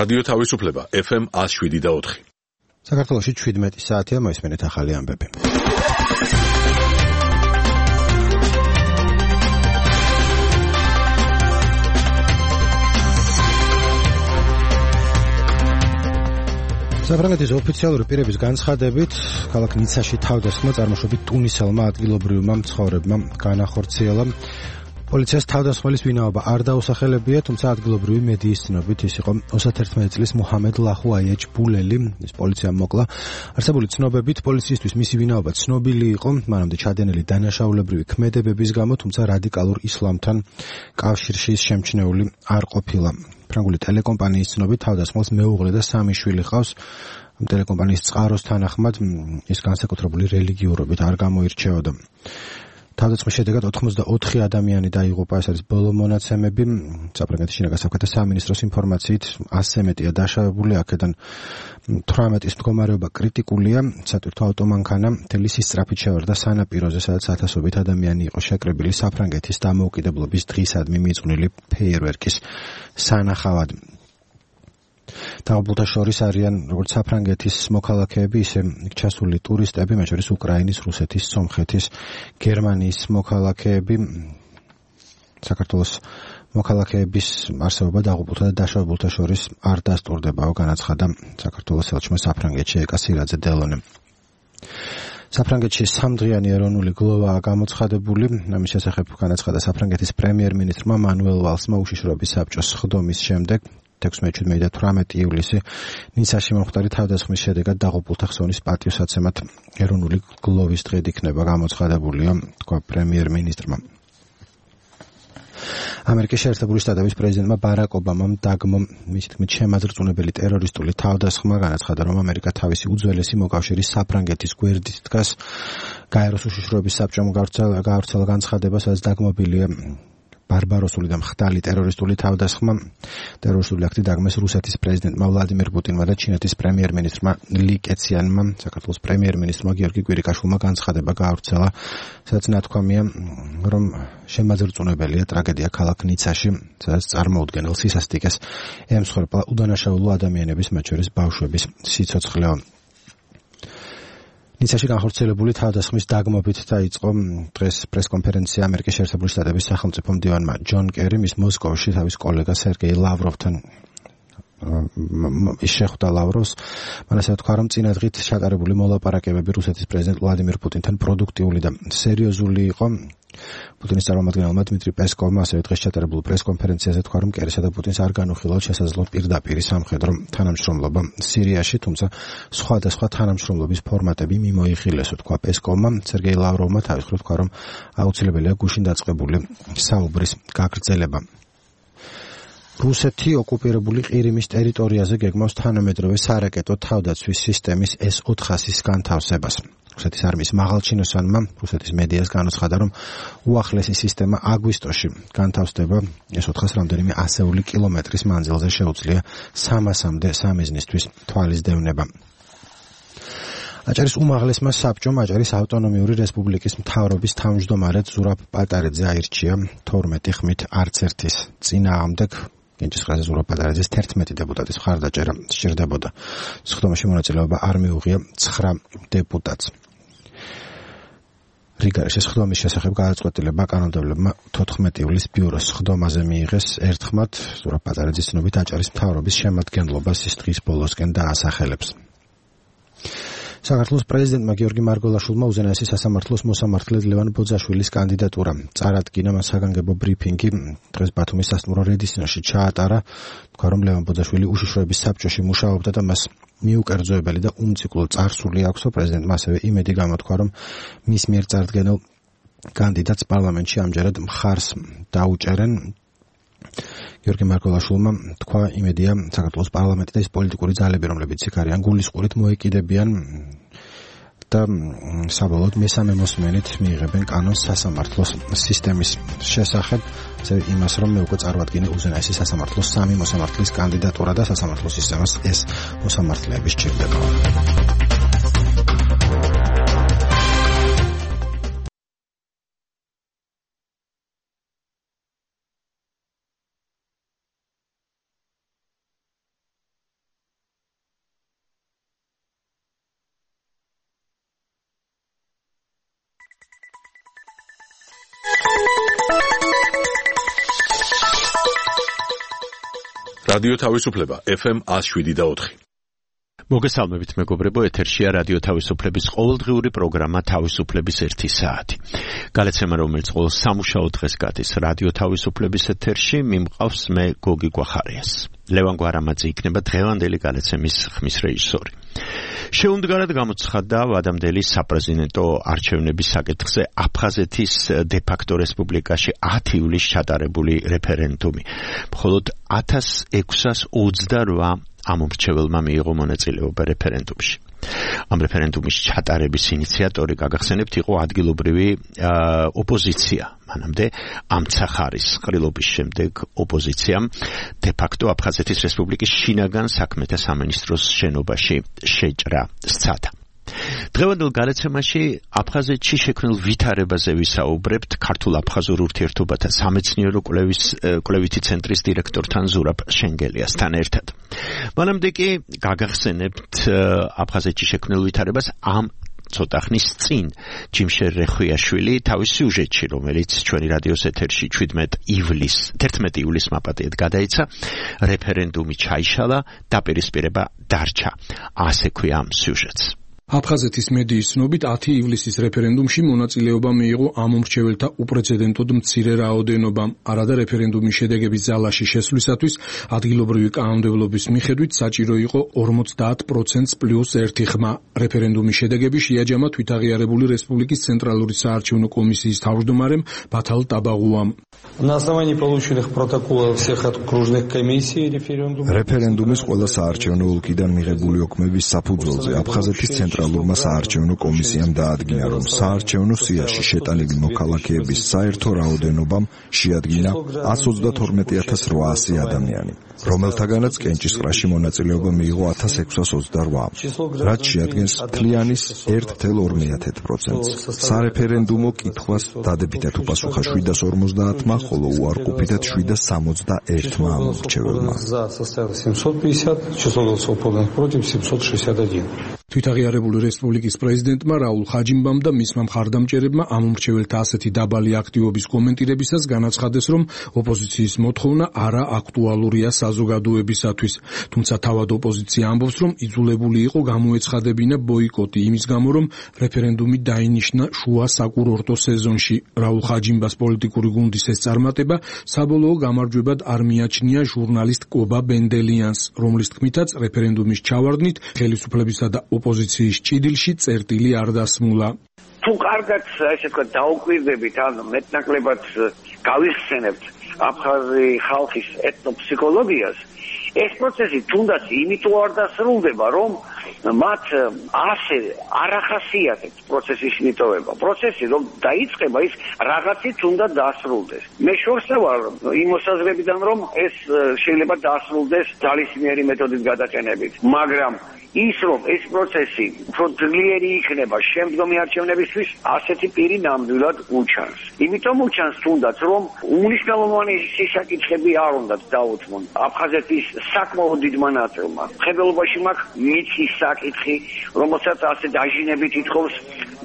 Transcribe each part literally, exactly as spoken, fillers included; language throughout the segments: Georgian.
რადიო თავისუფლება ეფ ემ one oh seven და four. საქართველოში შვიდმეტი საათია, მოისმენთ ახალი ამბები. საფრანგეთის ოფიციალური პირების განცხადებით, ქალაქ ნიცაში თავდასხმა წარმოშობით ტუნისელმა ადგილობრივმა მცხოვრებმა განახორციელა. პოლიციას თავდასხმელის ვინაობა არ დაუსახელებია, თუმცა ადგილობრივი მედიის ცნობით ის იყო ოცდაათი წლის მუჰამედ ლაჰუ აიეჯ ბულელი, ის პოლიციამ მოკლა. არსებული ცნობებით პოლიციისთვის მისი ვინაობა ცნობილი იყო, მანამდე ჩადენილი დანაშაულებრივი ქმედებების გამო, თუმცა რადიკალურ ისლამთან კავშირში ის შემჩნეული არ ყოფილა. ფრანგული ტელეკომპანიის ცნობით თავდასხმელს მეუღლე და სამი შვილი ჰყავს. ტელეკომპანიის წყაროს თანახმად ის განსაკუთრებული რელიგიურობით არ გამოირჩეოდა. თავდასხმის შედეგად ოთხმოცდაოთხი ადამიანი დაიღუპა, ეს არის ბოლო მონაცემები. საფრანგეთის შინაგან საქმეთა სამინისტროს ინფორმაციით ასზე მეტია დაშავებული, აქედან თვრამეტის მდგომარეობა კრიტიკულია. სატვირთო ავტომანქანა მთელი სისწრაფით შევარდა სანაპიროზე, სადაც ათასობით ადამიანი იყო შეკრებილი საფრანგეთის დამოუკიდებლობის დღისადმი მიძღვნილი ფეიერვერკის სანახავად. დაღუპულთა შორის არიან როგორც საფრანგეთის მოქალაქეები, ისე ჩასული ტურისტები, მათ შორის უკრაინის, რუსეთის, სომხეთის, გერმანიის მოქალაქეები. საქართველოს მოქალაქეების არსებობა დაღუპულთა და დაშავებულთა შორის არ დასტურდებაო, განაცხადა საქართველოს ელჩმა საფრანგეთში ეკა სირაძე დელონემ. საფრანგეთში სამდღიანი ეროვნული გლოვაა გამოცხადებული. ამის შესახებ განაცხადა საფრანგეთის პრემიერ-მინისტრმა მანუელ ვალსმა უშიშროების საბჭოს სხდომის შემდეგ. ექვსმეტი და თვრამეტი ივლისი ნიცაში მომხდარი თავდასხმის შედეგად დაღუპულთა ხსოვნის პატივსაცემად ეროვნული გლოვის დღედ იქნება გამოცხადებულიო, თქვა პრემიერ-მინისტრმა. ამერიკის შეერთებული შტატების პრეზიდენტმა ბარაკ ობამამ დაგმო მისი თქმით შემაძრწუნებელი ტერორისტული თავდასხმა, განაცხადა, რომ ამერიკა თავისი უძველესი მოკავშირის საფრანგეთის გვერდით დგას. გაეროს უშიშროების საბჭომ გაავრცელა განცხადება, სადაც დაგმობილია ბარბაროსული და მხდალი ტერორისტული თავდასხმა. ტერორისტული აქტი დაგმეს რუსეთის პრეზიდენტმა ვლადიმირ პუტინმა და ჩინეთის პრემიერ-მინისტრმა ალი კეციანმა. საქართველოს პრემიერ-მინისტრმა გიორგი კვირიკაშვილმა განცხადება გაავრცელა, სადაც ნათქვამია, რომ შემაძრწუნებელია ტრაგედია ქალაქ ნიცაში, სადაც წარმოუდგენელ სისასტიკეს ემსხვერპლა უდანაშაულო ადამიანების, მათ შორის ბავშვების სიცოცხლეო. ნიცაში განხორციელებული თავდასხმის დაგმობით დაიწყო დღეს პრესკონფერენცია ამერიკის შეერთებული შტატების სახელმწიფო მდივანმა ჯონ კერიმ ის მოსკოვში თავის კოლეგა სერგეი ლავროვთან ის შეხვდა ლავროვს. მან ასე თქვა, რომ წინა დღით ჩატარებული მოლაპარაკებები რუსეთის პრეზიდენტ ვლადიმირ პუტინთან პროდუქტიული და სერიოზული იყო. პუტინის წარმომადგენელმა დმიტრი პესკოვმა ასევე დღეს ჩატარებულ პრესკონფერენციაზე თქვა, რომ კერისა და პუტინს არ განუხილავთ შესაძლო პირდაპირი სამხედრო თანამშრომლობა სირიაში, თუმცა სხვადასხვა თანამშრომლობის ფორმატები მიმოიხილესო, თქვა პესკოვმა. სერგეი ლავროვმა თავის მხრივ თქვა, რომ აუცილებელია გუშინ დაწყებული საუბრის გაგრძელება. რუსეთი ოკუპირებული ყირიმის ტერიტორიაზე გეგმავს თანამედროვე სარაკეტო თავდაცვის სისტემის ეს ოთხასის განთავსებას. რუსეთის არმიის მაღალჩინოსანმა რუსეთის მედიას განაცხადა, რომ უახლესი სისტემა აგვისტოში განთავსდება. ეს ოთხას რამდენიმე ასეული კილომეტრის მანძილზე შეუძლია სამასამდე სამიზნისთვის თვალის დევნება. აჭარის უმაღლესმა საბჭომ აჭარის ავტონომიური რესპუბლიკის მთავრობის თავმჯდომარედ ზურაბ პატარეძე აირჩია თორმეტი ხმით არც ერთის წინააღმდეგ. კენჭისყრაზე ზურაბ პატარეძეს თერთმეტი დეპუტატის მხარდაჭერა სჭირდებოდა. სხდომაში მონაწილეობა არ მიუღია ცხრა დეპუტატს. რიგაში სხდომის შესახებ გადაწყვეტილება კანონმდებლებმა თოთხმეტი ივლისს ბიუროს სხდომაზე მიიღეს ერთხმად. ზურაბ პატარეძის ცნობით აჭარის მთავრობის შემადგენლობას ის დღის ბოლოსკენ დაასახელებს. საქართველოს პრეზიდენტმა გიორგი მარგველაშვილმა უზენაესი სასამართლოს მოსამართლედ ლევან ბოძაშვილის კანდიდატურა წარადგინა. მას საგანგებო ბრიფინგი დღეს ბათუმის სასტუმრო რედისნაში ჩაატარა. თქვა, რომ ლევან ბოძაშვილი უშიშროების საბჭოში მუშაობდა და მას მიუკერძოებელი და უმციკლო წარსული აქვს. პრეზიდენტმა ასევე იმედი გამოთქვა, რომ მის მიერ წარდგენილ კანდიდატს პარლამენტში ამჯერად მხარს დაუჭერენ. გიორგი მარგველაშვილმა თქვა, იმედია საქართველოს პარლამენტი და ის პოლიტიკური ძალები, რომლებიც იქ არიან, გულისყურით მოეკიდებიან და საბოლოოდ მესამე მოსმენით მიიღებენ კანონს სასამართლოს სისტემის შესახებ. ასევე იმას, რომ მე უკვე წარვადგინე უზენაესი სასამართლოს სამი მოსამართლის კანდიდატურა და სასამართლოს სისტემას ეს მოსამართლეები სჭირდება. რადიო თავისუფლება ეფ ემ one oh seven point four. მოგესალმებით მეგობრებო, ეთერშია რადიო თავისუფლების ყოველდღიური პროგრამა თავისუფლების ერთი საათი. გალაცემა, რომელიც ყოველ სამუშაო დღეს გადის რადიო თავისუფლების ეთერში, მიმყავს მე გოგი გვახარიას. ლევან გვარამაძე იქნება დღევანდელი გალაცემის ხმის რეჟისორი. შეუმდგარად გამოცხადდა ვადამდელი საპრეზიდენტო არჩევნების საკითხზე აფხაზეთის დე-ფაქტო რესპუბლიკაში ათი ივლისს ჩატარებული რეფერენდუმი. მხოლოდ ათას ექვსას ოცდარვა ამომრჩეველმა მიიღო მონაწილეობა რეფერენდუმში. ამ რეფერენდუმის ჩატარების ინიციატორი, გაგახსენებთ, იყო ადგილობრივი ოპოზიცია. მანამდე ამცახარის ყრილობის შემდეგ ოპოზიციამ დე-ფაქტო აფხაზეთის რესპუბლიკის შინაგან საქმეთა სამინისტროს შენობაში შეჭრა სცადა. დღევანდელ გალაცემაში აფხაზეთში შექმნილ ვითარებაზე ვისაუბრებთ ქართულ-აფხაზურ ურთიერთობათა სამეცნიერო კვლევის კვლევითი ცენტრის დირექტორთან ზურაბ შენგელიასთან ერთად. მანამდე კი გაგახსენებთ აფხაზეთში შექმნილ ვითარებას ამ ცოტა ხნის წინ ჯიმშერ რეხვიაშვილი თავის სიუჟეტში, რომელიც ჩვენი რადიოს ეთერში თერთმეტი ივლისს მაპატიეთ გადაიცა, რეფერენდუმი ჩაიშალა, დაპირისპირება დარჩა. ასე ქვია ამ სიუჟეტს. აფხაზეთის მედიის ცნობით ათი ივლისის რეფერენდუმში მონაწილეობა მიიღო ამომრჩეველთა უპრეცედენტოდ მცირე რაოდენობამ. არადა რეფერენდუმის შედეგების ძალაში შესვლისათვის ადგილობრივი კანონმდებლობის მიხედვით საჭირო იყო ორმოცდაათ პროცენტს პლუს ერთი ხმა. რეფერენდუმის შედეგები შეაჯამა თვითაღიარებული რესპუბლიკის ცენტრალური საარჩევნო კომისიის თავმჯდომარემ ბათალ ტაბაღუამ. На основании полученных протоколов всех окружных комиссий референдум რეფერენდუმის ყველა საარჩევნო ოლქიდან მიღებული ოქმების საფუძველზე აფხაზეთის ცენტრალურმა საარჩევნო კომისიამ დაადგინა, რომ საარჩევნო სიაში შეტანილი მოქალაქეების საერთო რაოდენობამ შეადგინა ათს ოცდათორმეტი ათას რვაასი ადამიანი, რომელთაგანაც კენჭისყრაში მონაწილეობა მიიღო ათას ექვსას ოცდარვა, რაც შეადგენს მთლიანის ერთ целых ორი десятых პროცენტს. სარეფერენდუმო კითხვას დადებითად უპასუხა შვიდას ორმოცდაათმა, ხოლო უარყოფითად შვიდას სამოცდაერთმა ამომრჩეველმა. თვითაღიარებული რესპუბლიკის პრეზიდენტმა რაულ ხაჯიმბამ და მისმა მხარდამჭერებმა ამომრჩეველთა ასეთი დაბალი აქტივობის კომენტირებისას განაცხადეს, რომ ოპოზიციის მოთხოვნა არა აქტუალურია საზოგადოებისათვის. თუმცა თავად ოპოზიცია ამბობს, რომ იძულებული იყო გამოეცხადებინა ბოიკოტი იმის გამო, რომ რეფერენდუმი დაინიშნა შუა საკურორტო სეზონში. რაულ ხაჯიმბას პოლიტიკური გუნდის ეს წარმატება საბოლოო გამარჯვებად არ მიაჩნია ჟურნალისტ კობა ბენდელიანს, რომლის თქმითაც რეფერენდუმის ჩავარდნით ხელისუფლებისა და ოპოზიციის ჭიდილში წერტილი არ დასმულა. თუ კარგად ესე ვთქვათ დაუკვირდებით, ან მეტნაკლებად გავიხსენებთ აფხაზი ხალხის ეთნოფსიქოლოგიას, ეს პროცესი თუნდაც იმიტომ არ დასრულდება, რომ მათ ასე არ ახასიათებს პროცესის მიტოვება. პროცესი რომ დაიწყება, ის რაღაცით უნდა დასრულდეს. მე შორსა ვარ იმ მოსაზრებიდან, რომ ეს შეიძლება დასრულდეს ძალისმიერი მეთოდით გადაყენებით, მაგრამ ის რომ ეს პროცესი უფრო ძლიერი იქნება შემდგომი არჩევნებისთვის, ასეთი პირი ნამდვილად უჩანს. იმიტომ უჩანს თუნდაც, რომ უმნიშვნელოვანესი საკითხები არ უნდათ დაუთმონ აფხაზეთის საკმაოდ დიდმა ნაწილმა. ხებელობაში მაქვს მიწის საკითხი, რომელსაც ასე დაჟინებით ითხოვს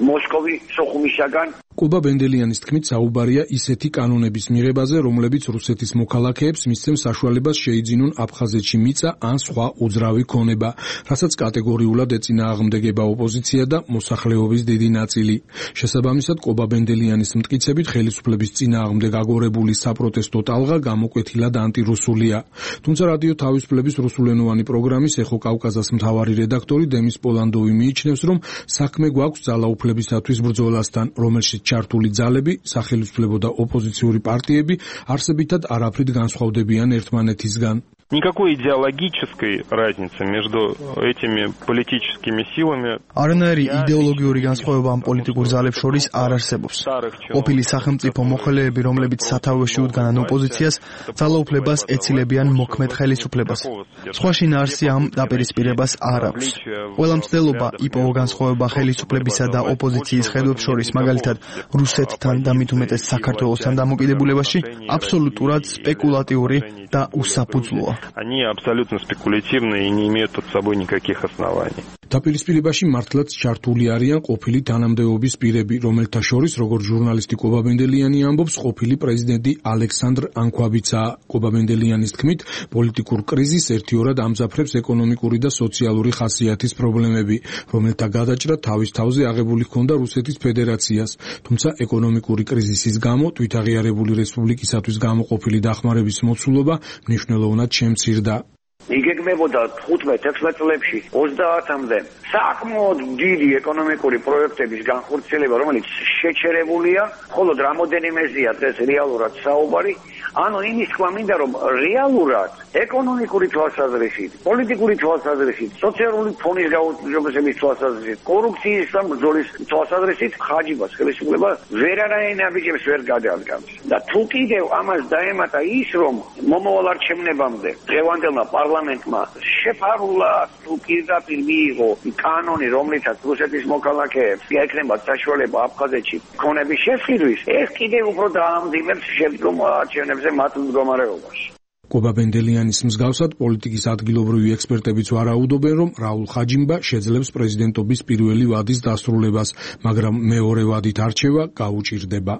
მოსკოვი სოხუმისაგან. კობა ბენდელიანის თქმით საუბარია ისეთი კანონების მიღებაზე, რომლებიც რუსეთის მოქალაქეებს მისცემს საშუალებას შეიძინონ აფხაზეთში მიწა ან სხვა უძრავი ქონება, რასაც კატეგორიულად ეწინააღმდეგება ოპოზიცია და მოსახლეობის დიდი ნაწილი. შესაბამისად, კობა ბენდელიანის მტკიცებით ხელისუფლების წინააღმდეგ აგორებული საპროტესტო ტალღა გამოკვეთილად ანტირუსულია. თუმცა რადიო თავისუფლების რუსულენოვანი პროგრამის ეხო კავკაზას მთავარი რედაქტორი დემის პოლანდოვი მიიჩნევს, რომ საქმე გვაქვს ძალაუფლებისათვის ბრძოლასთან, რომელშიც ჩართული ძალები, სახელმწიფო და ოპოზიციური პარტიები არსებითად არაფრით განსხვავდებიან ერთმანეთისგან. Никакой идеологической разницы между этими политическими силами არანაირი იდეოლოგიური განსხვავება ამ პოლიტიკურ ძალებს შორის არ არსებობს. ყოფილი სახელმწიფო მოხელეები, რომლებიც სათავეში უდგანან ოპოზიციას, ძალაუფლებას ეცილებიან მოქმედ ხელისუფლებას. სხვა შინაარსი ამ დაპირისპირებას არ აქვს. ყველა მცდელობა იპოვა განსხვავება ხელისუფლებისა და ოპოზიციის ხედვებს შორის, მაგალითად რუსეთთან და მით უმეტეს საქართველოსთან დამოკიდებულებაში, აბსოლუტურად სპეკულატიური და უსაფუძვლოა. Они абсолютно спекулятивны и не имеют под собой никаких оснований. დაპირისპირებაში მართლაც ჩართული არიან ყოფილი თანამდებობის პირები, რომელთა შორის, როგორც ჟურნალისტი კობაბენდელიანი ამბობს, ყოფილი პრეზიდენტი ალექსანდრ ანქვაბიცა. კობაბენდელიანის თქმით, პოლიტიკურ კრიზისს ერთიორად ამძაფრებს ეკონომიკური და სოციალური ხასიათის პრობლემები, რომელთა გადაჭრა თავის თავზე აღებული ჰქონდა რუსეთის ფედერაციას. თუმცა ეკონომიკური კრიზისის გამო თვითაღიარებული რესპუბლიკისათვის გამოყოფილი დახმარების მოცულობა მნიშვნელოვნად შემცირდა. იგეგმებოდა თხუთმეტ-ექვსმეტ წლებში ოცდაათამდე საკმაოდ დიდი ეკონომიკური პროექტების განხორციელება, რომელიც შეჩერებულია, ხოლო რამოდენიმეზეა დღეს რეალურად საუბარი. ანუ იმის თქვა მინდა, რომ რეალურად ეკონომიკური თვალსაზრისით, პოლიტიკური თვალსაზრისით, სოციალური ფონის გაუმჯობესების თვალსაზრისით, კორუფციის და ბრძოლის თვალსაზრისით ხაჯიბას ხელისუფლება ვერანაირ ნაბიჯებს ვერ გადაადგამს. და თუ კიდევ ამას დაემატა ის, რომ მომავალ არჩევნებამდე დღევანდელმა პარლამენტმა შეფარულად თუ პირდაპირ მიიღო კანონი, რომლითაც რუსეთის მოქალაქეებს ექნებათ საშუალება აფხაზეთში ქონების შესყიდვის, ეს კიდევ უფრო დაამძიმებს შემდგომ არჩევნებზე მათ მდგომარეობაში. კობაბენდელიანის მსგავსად პოლიტიკის ადგილობრივი ექსპერტებიც ვარაუდობენ, რომ რაულ ხაჯიმბა შეძლებს პრეზიდენტობის პირველი ვადის დასრულებას, მაგრამ მეორე ვადით არჩევა გაუჭირდება.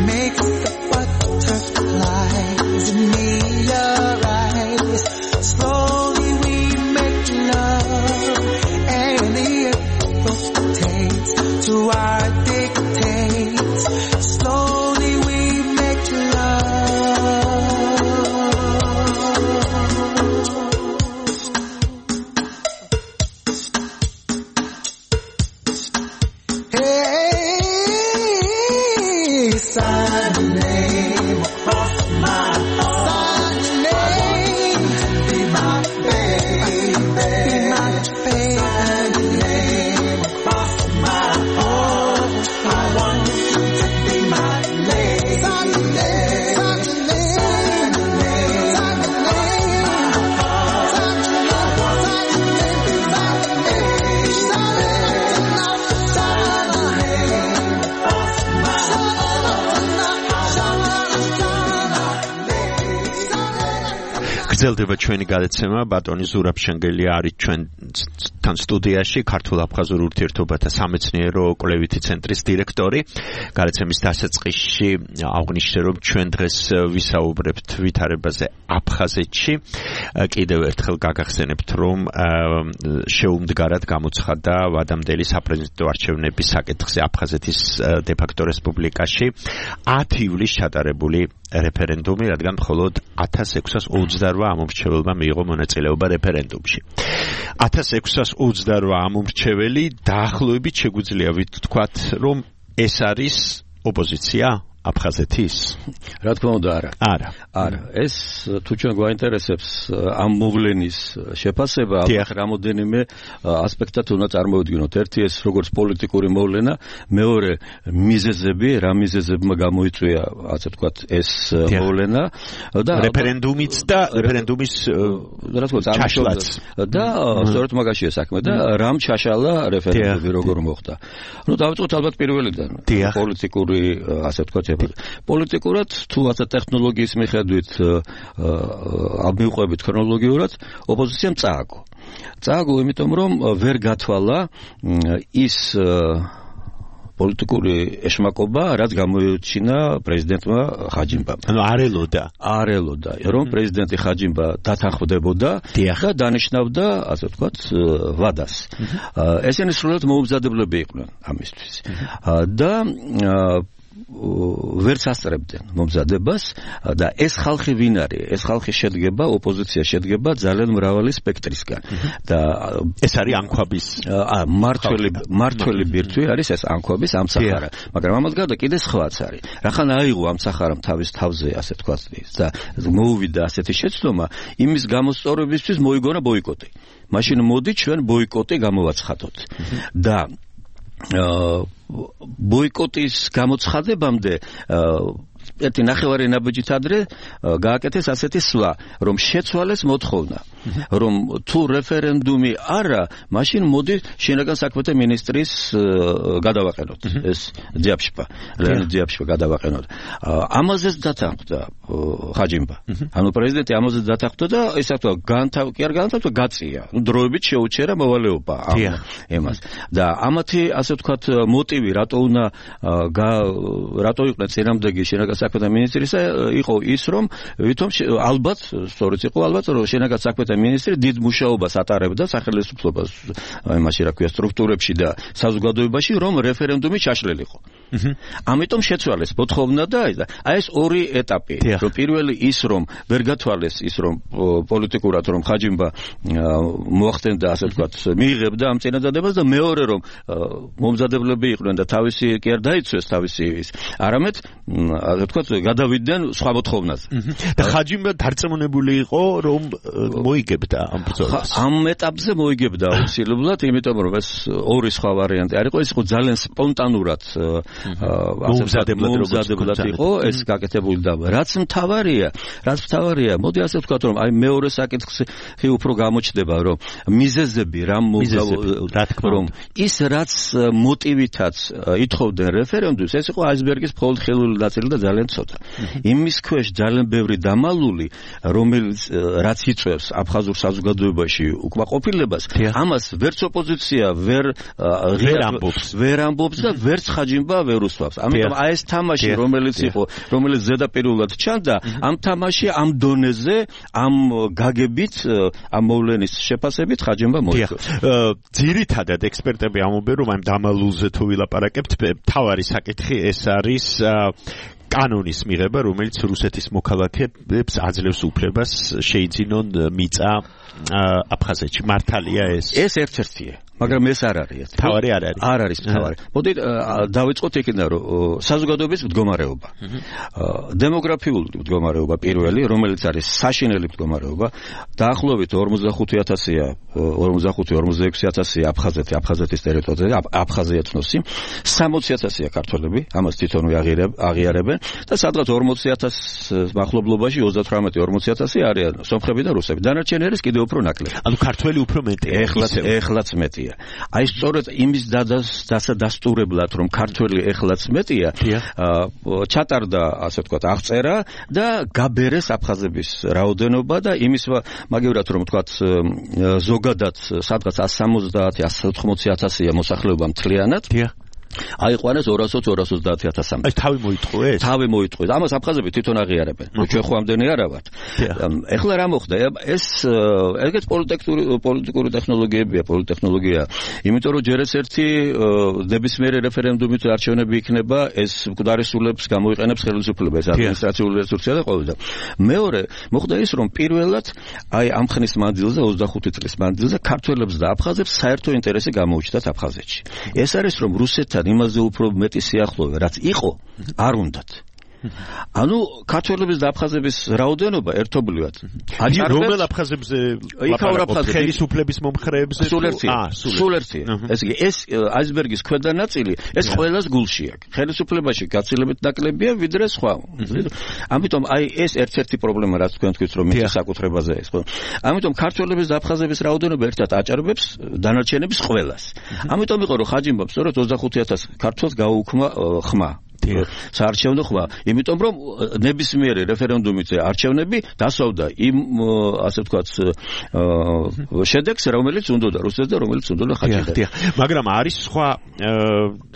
Makes the butterflies in me arise. გრძელდება ჩვენი გადაცემა ბატონი ზურაბ შენგელია არის ჩვენთან სტუდიაში ქართულ აფხაზურ ურთიერთობათა სამეცნიერო კვლევითი ცენტრის დირექტორი გადაცემის დასაწყისში აღნიშნე რომ ჩვენ დღეს ვისაუბრებთ ვითარებაზე აფხაზეთში კიდევ ერთხელ გაგახსენებთ რომ შეუმდგარად გამოცხადა ვადამდელი საპრეზიდენტო არჩევნების საკითხზე აფხაზეთის დე-ფაქტო რესპუბლიკაში ათი ივლისს ჩატარებული რეფერენდუმი, რადგან მხოლოდ ათას ექვსას ოცდარვა ამომრჩეველმა მიიღო მონაწილეობა რეფერენდუმში. ათას ექვსას ოცდარვა ამომრჩეველი დაახლოებით შეგვიძლია ვთქვათ, რომ ეს არის ოპოზიცია აფხაზეთის? რა თქმა უნდა, არა. არა. არა. ეს თუ ჩვენ გვაინტერესებს ამ მოვლენის შეფასება, ალბათ რამოდენიმე ასპექტად უნდა წარმოვიდგინოთ. ერთი ეს როგორც პოლიტიკური მოვლენა, მეორე მიზეზები, რა მიზეზებმა გამოიწვია, ასე ვთქვათ, ეს მოვლენა და რეფერენდუმიც და რეფერენდუმის რა თქმა უნდა, ჩაშლაც და სწორედ მაგაშია საქმე და რამ ჩაშალა რეფერენდუმი როგორ მოხდა. ნუ დავიწყოთ ალბათ პირველიდან. პოლიტიკური, ასე ვთქვათ, პოლიტიკურად თუ ასე ტექნოლოგიის მიხედვით ამიყვებით ქრონოლოგიურად ოპოზიციამ წააგო. წააგო იმიტომ რომ ვერ გათვალა ის პოლიტიკური ეშმაკობა, რაც გამოიჩინა პრეზიდენტმა ხაჯიმბამ. ანუ არ ელოდა. არ ელოდა, რომ პრეზიდენტი ხაჯიმბა დათანხმდებოდა და დანიშნავდა, ასე ვთქვათ, ვადას. ესენი სრულად მოუმზადებლები იყვნენ ამისთვის. და ვერც ასწრებდნენ მომზადებას და ეს ხალხი ვინ არის? ეს ხალხი შედგება, ოპოზიცია შედგება ძალიან მრავალი სპექტრისგან და ეს არის ანქვაბის მართველი მართველი ბირთვი არის ეს ანქვაბის ამცახარა, მაგრამ ამას გარდა კიდე სხვაც არის. რახან აიღო ამცახარამ თავის თავზე, ასე თქვა და მოუვიდა ასეთი შეცდომა, იმის გამოსწორებისთვის მოიგონა ბოიკოტი. მაშინ მოდი ჩვენ ბოიკოტი გამოვაცხადოთ და ბოიკოტის გამოცხადებამდე ერთი ნახევარი ნაბიჯით ადრე გააკეთეს ასეთი სვლა, რომ შეცვალეს მოთხოვნა, რომ თუ რეფერენდუმი არა, მაშინ მოდი შინაგან საქმეთა მინისტრის გადავაყენოთ ეს ძიაფშპა, ლეონიდ ძიაფშპა გადავაყენოთ. ამაზეც დათანხმდა ხაჯიმბა. ანუ პრეზიდენტი ამაზეც დათანხმდა და ესე ვთქვა, განთავ კი არ განთავდა, გაწია. დროებით შეუჩერა მოვალეობა ამ ემას. და ამათი ასე ვთქვათ მოტივი, რატო უნდა რატო იყვნენ წინამძღოლი შინაგან საქმეთა მინისტრისა იყო ის, რომ ვითომ ალბათ, სწორედ იყო ალბათ, რომ შინაგან საქმეთა მინისტრი დიდ მუშაობას ატარებდა სახელმწიფოს იმაში, რა ქვია, სტრუქტურებში და საზოგადოებაში, რომ რეფერენდუმი ჩაშლილიყო. ამიტომ შეცვალეს მოთხოვნა და აი ეს ორი ეტაპი, რომ პირველი ის, რომ ვერ გათვალეს ის, რომ პოლიტიკურად რომ ხაჯიმბა მოახდენდა, ასე ვთქვათ, მიიღებდა ამ წინადადებას და მეორე, რომ მომზადებლები იყვნენ და თავისი კი არ დაიცვეს თავისი ის, არამედ ვთქვათ, გადავიდნენ სხვა მოთხოვნაზე. და ხაჯიმბა დარწმუნებული იყო, რომ მოიგებდა ამ ბრძოლას. ამ ეტაპზე მოიგებდა აუცილებლად, იმიტომ რომ ეს ორი სხვა ვარიანტი არ იყო, ეს იყო ძალიან სპონტანურად მომზადებლად იყო ეს გაკეთებული და რაც მთავარია, რაც მთავარია, მოდი ასე ვთქვათ, რომ აი მეორე საკითხი უფრო გამოჩნდება, რომ მიზეზები რა მოგზაურდა, რომ ის რაც მოტივითაც ითხოვდნენ რეფერენდუმს, ეს იყო აისბერგის მხოლოდ ხელული ნაწილი და ძალიან ცოტა. იმის ქვეშ ძალიან ბევრი დამალული, რომელიც რაც იწვევს აფხაზურ საზოგადოებაში უკმაყოფილებას, ამას ვერც ოპოზიცია ვერ ვერ ამბობს, ვერ ამბობს და ვერც ხაჯიმბა ვერ უსვამს. ამიტომ აი ეს თამაში, რომელიც იყო, რომელიც ზედაპირულად ჩანდა, ამ თამაში ამ დონეზე, ამ გაგებით, ამ მოვლენის შეფასებით ხაჯიმბა მოიგო. ძირითადად ექსპერტები ამბობენ, რომ ამ დამალულზე თუ ვილაპარაკებთ, მთავარი საკითხი ეს არის კანონის მიღება, რომელიც რუსეთის მოქალაქეებს აძლევს უფლებას შეიძინონ მიწა აფხაზეთში. მართალია ეს? ეს ერთ-ერთია. მაგრამ ეს არ არის. თავარი არ არის. არ არის თავარი. მოდით დავიწყოთ იქიდან, რომ საზოგადოების მდგომარეობა. დემოგრაფიული მდგომარეობა პირველი, რომელიც არის საშინელი მდგომარეობა, დაახლოებით ორმოცდახუთი ათასია, ორმოცდახუთი ორმოცდაექვსი ათასია აფხაზეთი, აფხაზეთის ტერიტორიაზე, აფხაზია ეთნოსი, სამოცი ათასია ქართველები, ამას თვითონვე აღიარებენ და სადღაც ორმოცი ათასის მახლობლობაში ოცდათვრამეტი ორმოცი ათასი არიან სომხები და რუსები. დანარჩენი არის კიდევ უფრო ნაკლები. ანუ ქართველი უფრო მეტია. ეხლაც ეხლაც მეტია. აი სწორედ იმის დასადასტურებლად რომ ქართველი ეხლაც მეტია, ჩატარდა ასე ვთქვათ აღწერა და გაბერეს აფხაზების რაოდენობა და იმის მაგევრად რომ ვთქვათ ზოგადად სადღაც εκατს სამოცდაათი εκατს ოთხმოცი ათასია მოსახლეობა მთლიანად. აიყვანეს ორასოც ორასოცდაათი ათასამდე. აი თავი მოიტყუეს? თავი მოიტყუეს. ამას აფხაზები თვითონ აღიარებენ. ჩვენ ხო ამდენი არა ვართ. ეხლა რა მოხდა? ეს ეგეც პოლიტიკური პოლიტიკური ტექნოლოგიებია, პოლიტექნოლოგია. იმიტომ რომ ჯერ ეს ერთი ნებისმიერი რეფერენდუმით არჩევნები იქნება, ეს მკვდარისულებს გამოიყენებს ხელისუფლება, ეს ადმინისტრაციული რესურსია და ყოველდა. მეორე, მოხდა ის რომ პირველად აი ამ ხნის მანძილზე ოცდახუთი წლის მანძილზე ქართველებს და აფხაზებს საერთო ინტერესი გამოუჩნდათ აფხაზეთში. ეს არის რომ რუსეთთან იმაზე უფრო მეტი სიახლოვე რაც იყო არ უნდათ. ანუ ქართველების და აფხაზების რაოდენობა ერთობლივად აჭარბებს რომელ აფხაზებზე ლაპარაკობთ ხელისუფლების მომხრეებზე აა სულ ერთია ეს იგი ეს აისბერგის ქვედა ნაწილი ეს ყველას გულში აქვს ხელისუფლებაში გაცილებით ნაკლებია ვიდრე სხვა ამიტომ აი ეს ერთ-ერთი პრობლემა რაც თქვენ თქვით რომ მიწის საკუთრებაზე ეს ხო ამიტომ ქართველების და აფხაზების რაოდენობა ერთად აჭარბებს დანარჩენების ყველას ამიტომ იყო რომ ხაჯიმბამ სწორედ ოცდახუთი ათასი ქართველს გაუქმა ხმა საარჩევნო ხმა, იმიტომ რომ ნებისმიერი რეფერენდუმით არჩევნები დასავდა იმ ასე ვთქვათ შედეგს, რომელიც უნდოდა რუსეთს და რომელიც უნდოდა ხაჯიმბას. მაგრამ არის სხვა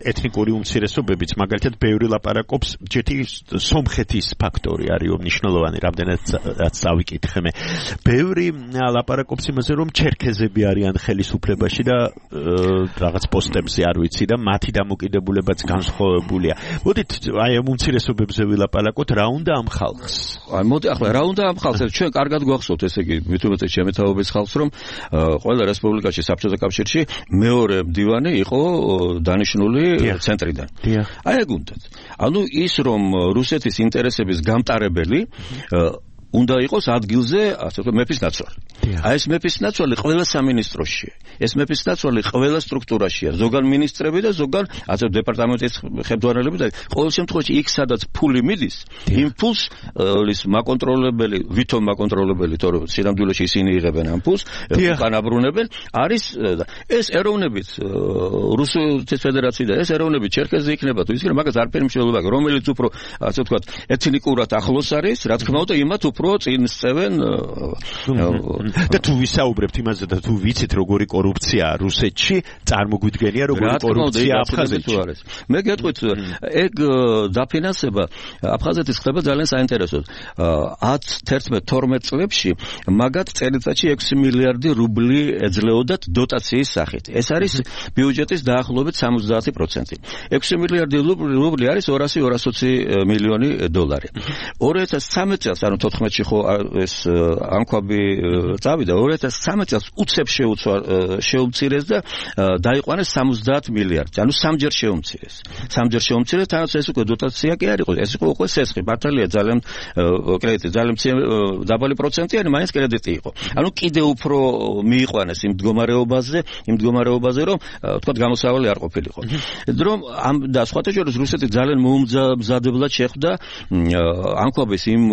ეთნიკური უმცირესობებიც, მაგალითად, ბევრი ლაპარაკობს, ჯეთი სომხეთის ფაქტორი არის მნიშვნელოვანი, რამდენადაც დავიკითხე მე. ბევრი ლაპარაკობს იმაზე, რომ ჩერქეზები არიან ხელისუფლებაში და რაღაც პოსტებზე არ ვიცი და მათი დამოკიდებულებაც განსხვავებულია. მოდით აი ამ უმცირესობებზე ვილაპარაკოთ, რა უნდა ამ ხალხს? აი მოდი ახლა რა უნდა ამ ხალხს? ჩვენ კარგად გვახსოვთ, ესე იგი, მithumetes ჩემი თაობის ხალხს, რომ ყველა რესპუბლიკაში, საბჭოთა კავშირში მეორე მდივანი იყო დანიშნული ცენტრიდან. აი ეგ უნდათ. ანუ ის რომ რუსეთის ინტერესების გამტარებელი უნდა იყოს ადგილზე, ასე ვთქვათ, მეფის ნაცვალი. აი ეს მეფის ნაცვალი ყველა სამინისტროშია. ეს მეფის ნაცვალი ყველა სტრუქტურაშია. ზოგან მინისტრები და ზოგან ასე დეპარტამენტის ხელმძღვანელები და ყოველ შემთხვევაში იქ სადაც ფული მიდის, იმ ფულს ის მაკონტროლებელი, ვითომ მაკონტროლებელი, თორემ სინამდვილეში ისინი იღებენ ამ ფულს, უკანაბრუნებენ, არის ეს ეროვნებით რუსეთის ფედერაცია და ეს ეროვნებით ჩერქეზი იქნება თუ ისინი მაგას არაფერი მნიშვნელობა აქვს, რომელიც უფრო ასე ვთქვათ, ეთნიკურად ახლოს არის, რა თქმა უნდა, იმათ უფრო წინ სწევენ და თუ ვისაუბრებთ იმაზე და თუ ვიცით როგორი კორუფციაა რუსეთში, წარმოგვიდგენია როგორი კორუფცია აფხაზეთში. მე გეტყვით, ეგ დაფინანსება აფხაზეთის ხდება ძალიან საინტერესოდ. ათი, თერთმეტი, თორმეტ წლებში მაგათ წელიწადში ექვსი მილიარდი რუბლი ეძლეოდათ დოტაციის სახით. ეს არის ბიუჯეტის დაახლოებით სამოცდაათი პროცენტი. ექვსი მილიარდი რუბლი არის ორასი ორასოცი მილიონი დოლარი. ორი ათას სამი წელს, ანუ თოთხმეტში ხო ეს ანკვაბი წავიდა, ორი ათას სამი წელს უცებ შეუცვა შეუმცირეს და დაიყვანეს სამოცდაათი მილიარდი. ანუ სამჯერ შეუმცირეს. სამჯერ შეუმცირეს, თანაც ეს უკვე დოტაცია კი არ იყო. ეს იყო უკვე სესხი. მართალია ძალიან კრედიტი, ძალიან დაბალი პროცენტიანი, მაინც კრედიტი იყო. ანუ კიდევ უფრო მიიყვანეს იმ მდგომარეობაზე, იმ მდგომარეობაზე, რომ თქვათ გამოსავალი არ ყოფილიყო. რომ ამ და სხვათა შორის რუსეთი ძალიან მოუმზადებლად შეხვდა ანკვაბის იმ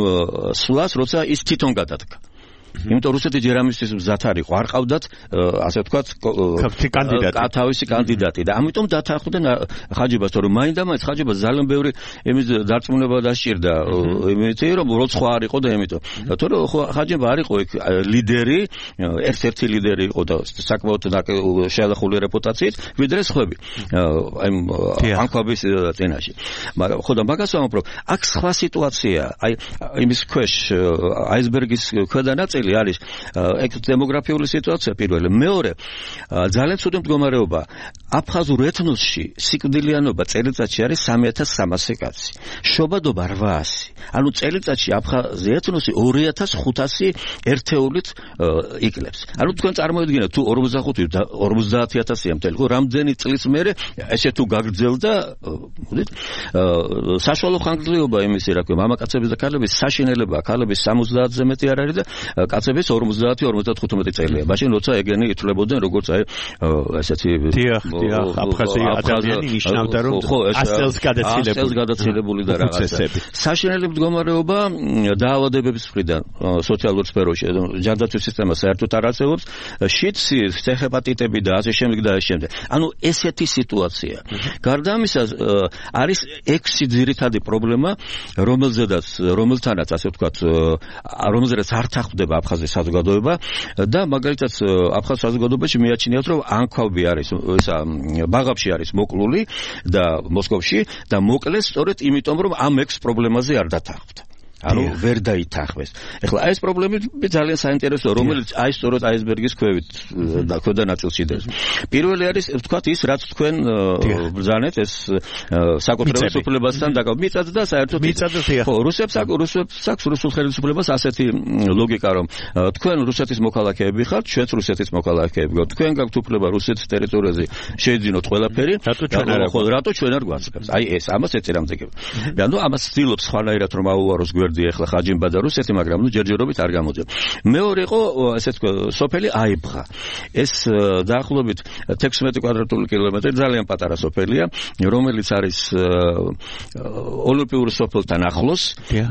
სვლას, როცა ის თვითონ გადადგა. იმიტომ რუსეთი ჯერ ამისთვის მზად არ იყო, არ ყავდათ ასე ვთქვათ კანდიდატი. თავისი კანდიდატი და ამიტომ დათანხმდნენ ხაჯიბას, თორემ მაინდა-მაინც ხაჯიბას ძალიან ბევრი იმის დარწმუნება დასჭირდა, იმითი რომ როცხვა არ იყო და ამიტომ. თორემ ხაჯიბა არ იყო იქ ლიდერი, ერთ-ერთი ლიდერი იყო და საკმაოდ შეალახული რეპუტაციით, ვიდრე სხვები. აი ანკვაბის წინაშე. მაგრამ ხო და მაგას ვამბობ, აქ სხვა სიტუაცია, აი იმის ქვეშ აისბერგის ქვედა ნაწილი ადგილი არის ეგ დემოგრაფიული სიტუაცია პირველი. მეორე, ძალიან ცუდი მდგომარეობა. აფხაზურ ეთნოსში სიკვდილიანობა წელიწადში არის სამი ათას სამასი კაცი. შობადობა რვაასი. ანუ წელიწადში აფხაზი ეთნოსი ორი ათას ხუთასი ერთეულით იკლებს. ანუ თქვენ წარმოიდგინეთ თუ ორმოცდახუთი ორმოცდაათი ათასია მთელი, ხო, რამდენი წლის მერე ესე თუ გაგრძელდა, მოდით, საშუალო ხანგრძლივობა იმისი, რა ქვია, მამაკაცების და ქალების საშინელება, ქალების სამოცდაათზე მეტი არ არის და კაცების ორმოცდაათი ორმოცდათხუთმეტი წელია. მაშინ როცა ეგენი ითვლებოდნენ როგორც აი ესეთი დიახ, დიახ, აფხაზი ადამიანი ნიშნავდა რომ ას წელს გადაცილებული. ას წელს გადაცილებული და რაღაცა. საშინელი მდგომარეობა დაავადებების მხრიდან სოციალურ სფეროში ჯანდაცვის სისტემა საერთოდ არ არსებობს. შიდსი, ჰეპატიტები და ასე შემდეგ და ასე შემდეგ. ანუ ესეთი სიტუაცია. გარდა ამისა არის ექვსი ძირითადი პრობლემა, რომელზედაც რომელთანაც ასე ვთქვათ, რომელზედაც არ თანხმდება აფხაზის საზოგადოება და მაგალითად აფხაზ საზოგადოებაში მიაჩნიათ რომ ანქვავი არის, ისა ბაღაბში არის მოკლული და მოსკოვში და მოკლეს სწორედ იმიტომ რომ ამ ექვს პრობლემაზე არ დათანხმდა. ანუ ვერ დაითანხმეს. ეხლა ეს პრობლემები ძალიან საინტერესოა, რომელიც აი სწორედ აისბერგის ქვევით და ქვედა ნაწილში დევს. პირველი არის ვთქვათ ის, რაც თქვენ ბრძანეთ, ეს საკუთრების უფლებასთან დაკავებით. მიწად და საერთოდ ხო, რუსებს რუსებს აქვს რუსულ ხელისუფლებას ასეთი ლოგიკა, რომ თქვენ რუსეთის მოქალაქეები ხართ, ჩვენც რუსეთის მოქალაქეები ვართ. თქვენ გაქვთ უფლება რუსეთის ტერიტორიაზე შეიძინოთ ყველაფერი. ხო, რატო ჩვენ არ გვაძლევს? აი ეს, ამას ეწირამდეგება. ანუ ამას ცდილობს სხვანაირად რომ აუვაროს ეხლა ხაჯიმბა და რუსეთი, მაგრამ ნუ ჯერჯერობით არ გამოძიებს. მეორე იყო ესე თქვა სოფელი აიბღა. ეს დაახლოებით თექვსმეტი კვადრატული კილომეტრი, ძალიან პატარა სოფელია, რომელიც არის ოლიმპიურ სოფელთან ახლოს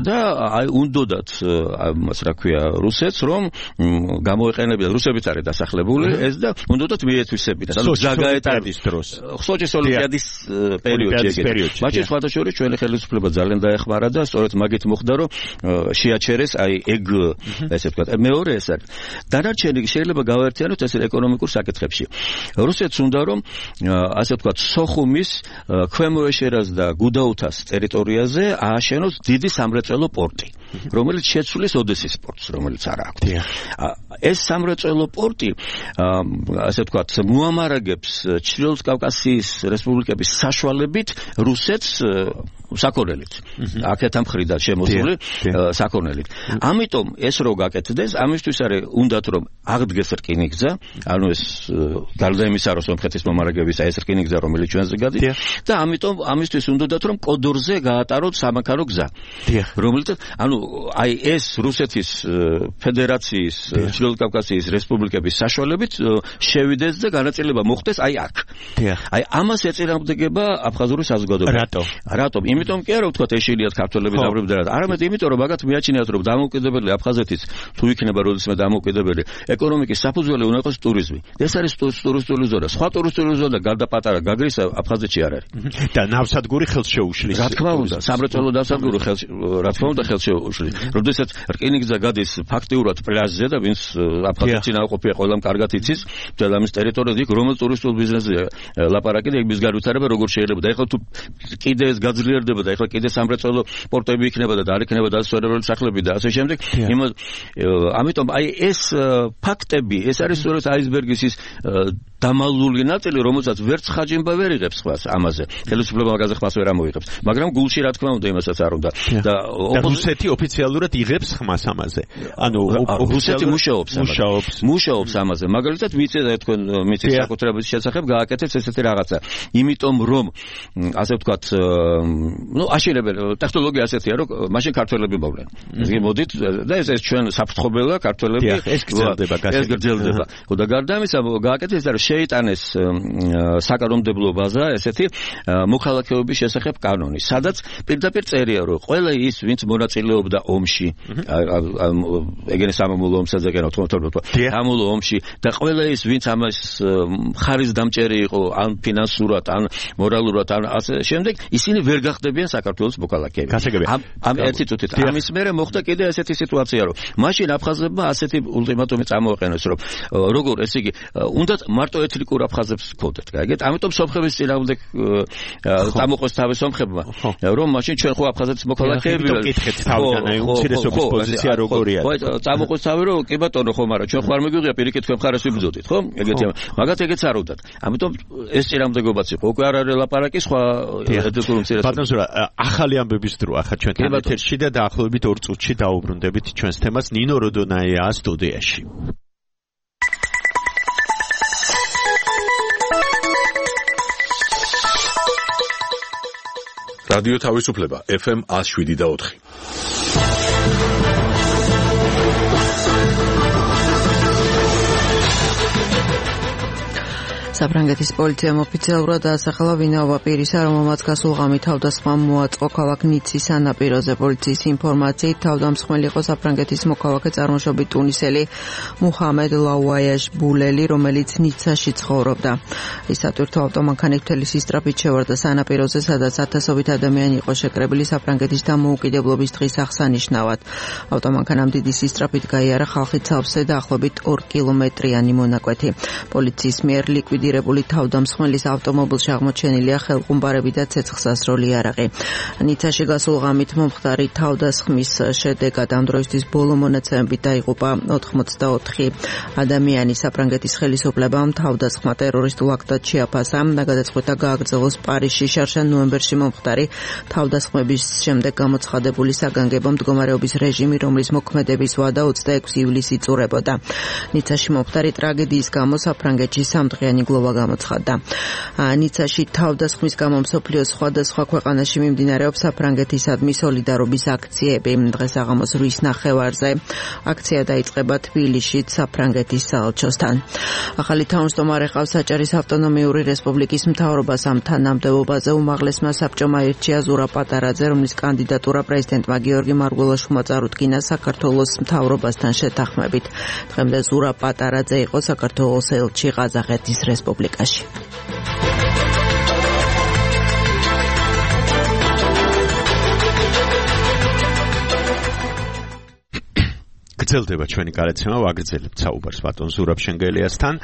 და აი უნდოდათ ამას რა ქვია რუსეთს რომ გამოეყენებინათ, რუსებიც არის დასახლებული ეს და უნდოდათ მიეთვისებინათ. ანუ ზაგაეტარის დროს. სოჭის ოლიმპიადის პერიოდში. მაშინ სხვათა შორის ჩვენი ხელისუფლება ძალიან დაეხმარა და სწორედ მაგით მოხდა რომ შეაჩერეს აი ეგ ესე ვთქვათ. მეორე ეს არის. დანარჩენი შეიძლება გავაერთიანოთ ეს ეკონომიკურ საკითხებში. რუსეთს უნდა რომ ასე ვთქვათ სოხუმის, ქვემო ეშერას და გუდაუთას ტერიტორიაზე ააშენოს დიდი სამრეწველო პორტი, რომელიც შეცვლის ოდესის პორტს, რომელიც არ აქვს. ეს სამრეწველო პორტი ასე ვთქვათ მოამარაგებს ჩრდილოეთ კავკასიის რესპუბლიკების საშუალებით რუსეთს საქონელით. აქეთა მხრიდან შემოსული საქონელით. ამიტომ ეს რო გაკეთდეს, ამისთვის არის უნდათ რომ აღდგეს რკინიგზა, ანუ ეს გარდა იმისა რომ სომხეთის მომარაგებისა ეს რკინიგზა რომელიც ჩვენზე გადის და ამიტომ ამისთვის უნდათ რომ კოდორზე გაატაროთ სამანქანო გზა. რომელიც ანუ აი ეს რუსეთის ფედერაციის ჩრდილოეთ კავკასიის რესპუბლიკების საშუალებით შევიდეს და განაწილება მოხდეს აი აქ. აი ამას ეწინააღმდეგება აფხაზური საზოგადოება. რატო? რატომ? იმიტომ კი არა ვთქვათ ეშინიათ ქართველები დაბრუნდა, არამედ იმიტომ რომ მაგათ მიაჩნიათ რომ დამოუკიდებელი აფხაზეთის თუ იქნება როდესმე დამოუკიდებელი ეკონომიკის საფუძველი უნდა იყოს ტურიზმი. ეს არის ტურისტული ზონა. სხვა ტურისტული ზონა გარდა პატარა გაგრის აფხაზეთში არ არის. და ნავსადგური ხელს შეუშლის. რა თქმა უნდა, სამრეწველო ნავსადგური ხელს რა თქმა უნდა ხელს შეუშლის. როდესაც რკინიგზა გადის ფაქტიურად პლაჟზე და ვინც აფხაზეთში ნაყოფია ყველამ კარგად იცის, ძალამის ტერიტორიაზე იქ რომელ ტურისტულ ბიზნესზე ლაპარაკი და ეგ განვითარება როგორ შეიძლება და ეხლა თუ კიდე ეს გაძლიერდება და ეხლა კიდე სამრეწველო პორტები იქნება და არ იქნება დასვენებული სახლები და ასე შემდეგ. ამიტომ აი ეს ფაქტები, ეს არის სწორედ აისბერგის ის დამალული ნაწილი, რომელსაც ვერც ხაჯიმბა ვერ იღებს ხმას ამაზე. ხელისუფლება მაგაზე ხმას ვერ ამოიღებს. მაგრამ გულში რა თქმა უნდა იმასაც არ უნდა. და რუსეთი ოფიციალურად იღებს ხმას ამაზე. ანუ რუსეთი მუშაობს ამაზე. მუშაობს ამაზე. მაგალითად ვიცი თქვენ მიწის საკუთრების შესახებ გააკეთებს ესეთი რაღაცა. იმიტომ რომ ასე ვთქვათ, ну აშენებენ ტექნოლოგია ასეთია, რომ მაშინ ქართველები მოვლენ. მოდით და ეს ეს ჩვენ საფრთხობელა ქართველები ეს გრძელდება, ეს გრძელდება. და გარდა ამისა გააკეთეს ეს შეიტანეს საკანონმდებლო ბაზა ესეთი მოქალაქეობის შესახებ კანონი, სადაც პირდაპირ წერია, რომ ყველა ის, ვინც მონაწილეობდა ომში, ეგენი სამამულო ომსა და ოთხმოცდაოთხ სამამულო ომში და ყველა ის, ვინც ამას ხარის დამჭერი იყო, ან ფინანსურად, ან მორალურად, ან ასე შემდეგ, ისინი ვერ გახდებიან საქართველოს მოქალაქეები. ამ ერთი წუთით ამის მერე მოხდა კიდე ესეთი სიტუაცია, რომ მაშინ აფხაზებმა ასეთი ულტიმატუმი წამოაყენეს, რომ როგორ ესე იგი, უნდათ მარტო მარტო ეთნიკურ აფხაზებს ჰქონდეთ, გაიგეთ? ამიტომ სომხების წინააღმდეგ წამოყვეს თავის სომხებმა, რომ მაშინ ჩვენ ხო აფხაზეთის მოქალაქეები ვართ. კითხეთ თავიდან, აი უმცირესობის პოზიცია როგორია? ხო, წამოყვეს თავი რომ კი ბატონო ხო, მაგრამ ჩვენ ხო არ მეგვიღია პირიქით თქვენ მხარეს ვიბრძოდით, ხო? ეგეთი მაგათ ეგეც არ უდათ. ამიტომ ეს წინააღმდეგობაც იყო. უკვე არ არის ლაპარაკი სხვა ეთნიკურ უმცირესობებს. ბატონო ზურა, ახალი ამბების დრო ახლა ჩვენთან ეთერში და დაახლოებით ორ წუთში დაუბრუნდებით ჩვენს თემას. ნინო როდონაია სტუდიაში. რადიო თავისუფლება ეფ ემ one oh seven და four. საფრანგეთის პოლიციამ ოფიციალურად დაასახელა ვინაობა პირისა, რომელმაც გასულ ღამით თავდასხმა მოაწყო ქალაქ ნიცის სანაპიროზე. პოლიციის ინფორმაციით თავდამსხმელი იყო საფრანგეთის მოქალაქე წარმოშობით ტუნისელი მუჰამედ ლაუაიაშ ბულელი, რომელიც ნიცაში ცხოვრობდა. ის სატვირთო ავტომანქანით მთელი სისწრაფით შევარდა სანაპიროზე, სადაც ათასობით ადამიანი იყო შეკრებილი საფრანგეთის დამოუკიდებლობის დღის აღსანიშნავად. ავტომანქანამ დიდი სისწრაფით გაიარა ხალხი ცალფსე დაახლოებით ორ კილომეტრიანი მონაკვეთი. პოლიციის მიერ ლიკვიდირებული თავდამსხმელის ავტომობილში აღმოჩენილია ხელყუმბარები და ცეცხლსასროლი იარაღი. ნიცაში გასულ ღამით მომხდარი თავდასხმის შედეგად ამ დროისთვის ბოლო მონაცემებით დაიღუპა ოთხმოცდაოთხი ადამიანი. საფრანგეთის ხელისუფლებამ თავდასხმა ტერორისტულ აქტად შეაფასა და გადაწყვეტა გააგრძელოს პარიზში შარშან ნოემბერში მომხდარი თავდასხმების შემდეგ გამოცხადებული საგანგებო მდგომარეობის რეჟიმი, რომლის მოქმედების ვადა ოცდაექვსი ივლისს იწურებოდა. ნიცაში მომხდარი ტრაგედიის გამო საფრანგეთში სამდღიანი გლოვა გამოცხადდა. ნიცაში თავდასხმის გამო მსოფლიოს სხვადასხვა ქვეყანაში მიმდინარეობს საფრანგეთისადმი სოლიდარობის აქციები. დღეს აღამოს რვის ნახევარზე აქცია დაიწყება თბილისშიც საფრანგეთის საელჩოსთან. ახალი თავმჯდომარე ყავს საჭარის ავტონომიური რესპუბლიკის მთავრობას. ამ თანამდებობაზე უმაღლესმა საბჭომ აირჩია ზურაბ პატარაძე, რომლის კანდიდატურა პრეზიდენტმა გიორგი მარგველაშვილმა წარუდგინა საქართველოს მთავრობასთან შეთანხმებით. დღემდე ზურაბ პატარაძე იყო საქართველოს ელჩი ყაზახეთის რესპუბლიკაში. გრძელდება ჩვენი გადაცემა, ვაგრძელებთ საუბარს ბატონ ზურაბ შენგელიასთან.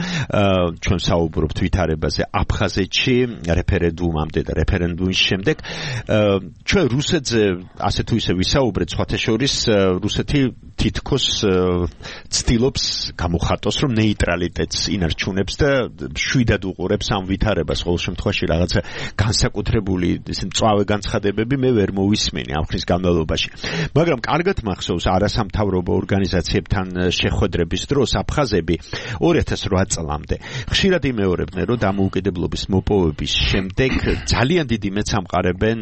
ჩვენ საუბრობთ ვითარებაზე აფხაზეთში რეფერენდუმამდე და რეფერენდუმის შემდეგ. ჩვენ რუსეთზე ასე თუ ისე ვისაუბრეთ, სხვათა შორის რუსეთი თითქოს ცდილობს გამოხატოს, რომ ნეიტრალიტეტს ინარჩუნებს და შვიდად უყურებს ამ ვითარებას. ყოველ შემთხვევაში რაღაცა განსაკუთრებული ესე მწვავე განცხადებები მე ვერ მოვისმენი ამ ხნის განმავლობაში. მაგრამ კარგად მახსოვს არასამთავრობო ორგანიზაციებთან შეხვედრების დროს აფხაზები ორი ათას ორი წლამდე ხშირად იმეორებდნენ, რომ დამოუკიდებლობის მოპოვების შემდეგ ძალიან დიდი მეც ამყარებენ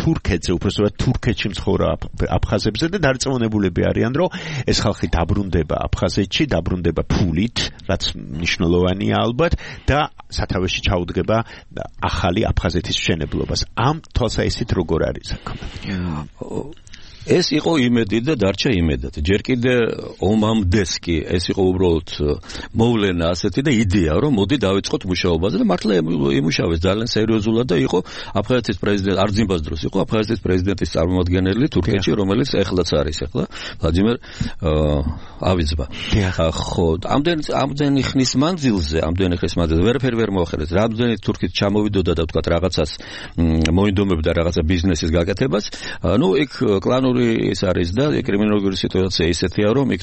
თურქეთზე, უბრალოდ თურქეთში მცხოვრ აფხაზებზე და დარწმუნებულები არიან, რომ ეს ხალხი დაბრუნდება აფხაზეთში, დაბრუნდება ფულით, რაც მნიშვნელოვანია ალბათ და სათავეში ჩაუდგება ახალი აფხაზეთის მშენებლობას. ამ თვალსაჩინით როგორ არის საქმე? ეს იყო იმედი და დარჩა იმედად. ჯერ კიდე ომამდეს კი ეს იყო უბრალოდ მოვლენა ასეთი და იდეა, რომ მოდი დავიწყოთ მუშაობაზე და მართლა იმუშავეს ძალიან სერიოზულად და იყო აფხაზეთის პრეზიდენტ არძიმბას დროს იყო აფხაზეთის პრეზიდენტის წარმომადგენელი თურქეთში, რომელიც ეხლაც არის ახლა ვლადიმერ ავიძბა. ხო, ამდენ ამდენი ხნის მანძილზე, ამდენი ხნის მანძილზე ვერაფერი ვერ მოახერხეს. რამდენი თურქეთი ჩამოვიდოდა და თქვა რაღაცას მოინდომებდა რაღაცა ბიზნესის გაკეთებას, ну იქ კლანური ის არის და კრიმინალური სიტუაცია ისეთია, რომ იქ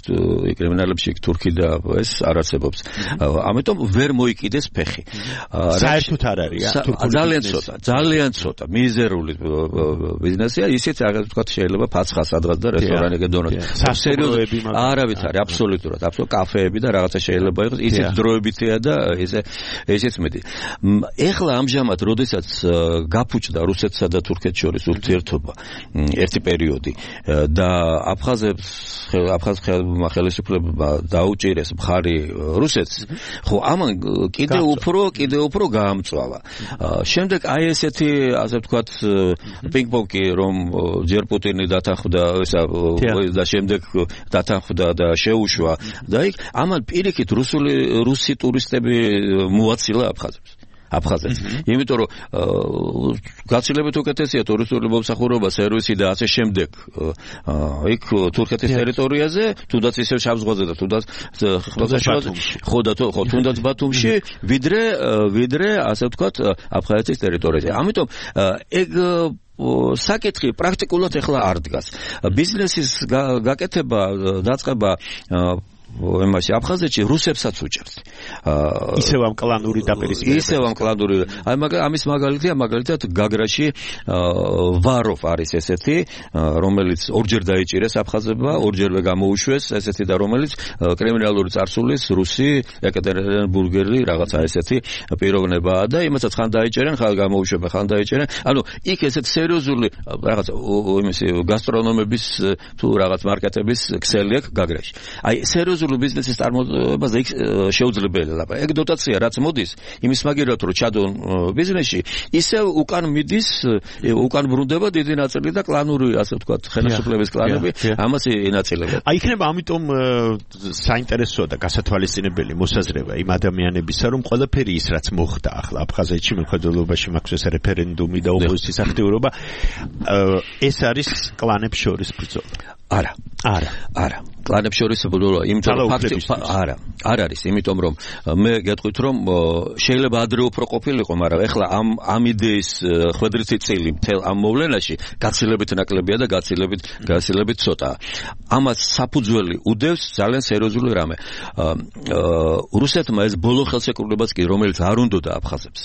კრიმინალებში თურქი და ეს არ არსებობს. ამიტომ ვერ მოიკიდეს ფეხი. საერთოდ არ არის ძალიან ცოტა, ძალიან ცოტა მიზერული ბიზნესია, ისიც აგერ თქვა შეიძლება ფაცხა სადღაც და რესტორანი გედონოთ. სასერიოზოები მაგრამ არავით არის აბსოლუტურად, აბსოლუტურად კაფეები და რაღაცა შეიძლება იყოს, ისიც დროებითია და ესე ესეც მეტი. ეხლა ამჟამად, როდესაც გაფუჭდა რუსეთსა და თურქეთს შორის ურთიერთობა ერთი პერიოდი და აფხაზებს აფხაზ ხელისუფლებმა დაუჭირეს მხარი რუსეთს, ხო ამან კიდე უფრო კიდე უფრო გაამწვავა. შემდეგ აი ესეთი ასე ვთქვათ პინგ-პონგი, რომ ჯერ პუტინი დათანხმდა ესა და შემდეგ დათანხმდა და შეუშვა და იქ ამან პირიქით რუსული რუსი ტურისტები მოაცილა აფხაზებს. აფხაზეთს. იმიტომ რომ გაცილებით უკეთესია ტურისტული მომსახურება, სერვისი და ასე შემდეგ. იქ თურქეთის ტერიტორიაზე, თუნდაც ისევ შავ ზღვაზე და თუნდაც ხმელთაშუაზე, ხო და ხო, თუნდაც ბათუმში, ვიდრე ვიდრე ასე ვთქვათ, აფხაზეთის ტერიტორიაზე. ამიტომ ეგ საკითხი პრაქტიკულად ეხლა არ დგას. ბიზნესის გაკეთება, დაწყება იმაში აფხაზეთში რუსებსაც უჭერს. ისევ ამ კლანური დაპირისპირება. ისევ ამ კლანური. აი ამის მაგალითია მაგალითად გაგრაში ვაროვ არის ესეთი, რომელიც ორჯერ დაიჭირეს აფხაზებმა, ორჯერვე გამოუშვეს ესეთი და რომელიც კრიმინალური წარსულის რუსი, ეკატერინბურგელი რაღაცა ესეთი პიროვნებაა და იმასაც ხან დაიჭერენ, ხან გამოუშვებენ, ხან დაიჭერენ. ანუ იქ ესეთ სერიოზული რაღაცა იმისი გასტრონომების თუ რაღაც მარკეტების ქსელი აქვს გაგრაში. აი სერიოზული ბიზნესის წარმოებაზე იქ შეუძლებელია ლაპარაკი. ეგ დოტაცია რაც მოდის, იმის მაგერად რომ ჩადონ ბიზნესში, ისევ უკან მიდის, უკან ბრუნდება დიდი ნაწილი და კლანური, ასე ვთქვათ, ხელისუფლების კლანები ამას ინაწილებენ. აი იქნება ამიტომ საინტერესოა და გასათვალისწინებელი მოსაზრება იმ ადამიანებისა, რომ ყველაფერი ის რაც მოხდა ახლა აფხაზეთში მხედველობაში მაქვს ეს რეფერენდუმი და ოპოზიციის აქტიურობა, ეს არის კლანებს შორის ბრძოლა. არა, არა, არა. კლანებს შორის ბრძოლა, იმიტომ რომ ფაქტი არა, არ არის, იმიტომ რომ მე გეტყვით რომ შეიძლება ადრე უფრო ყოფილიყო, მაგრამ ეხლა ამ ამ იდეის ხვედრითი წილი მთელ ამ მოვლენაში გაცილებით ნაკლებია და გაცილებით გაცილებით ცოტაა. ამას საფუძველი უდევს ძალიან სერიოზული რამე. რუსეთმა ეს ბოლო ხელშეკრულებაც კი რომელიც არ უნდოდა აფხაზებს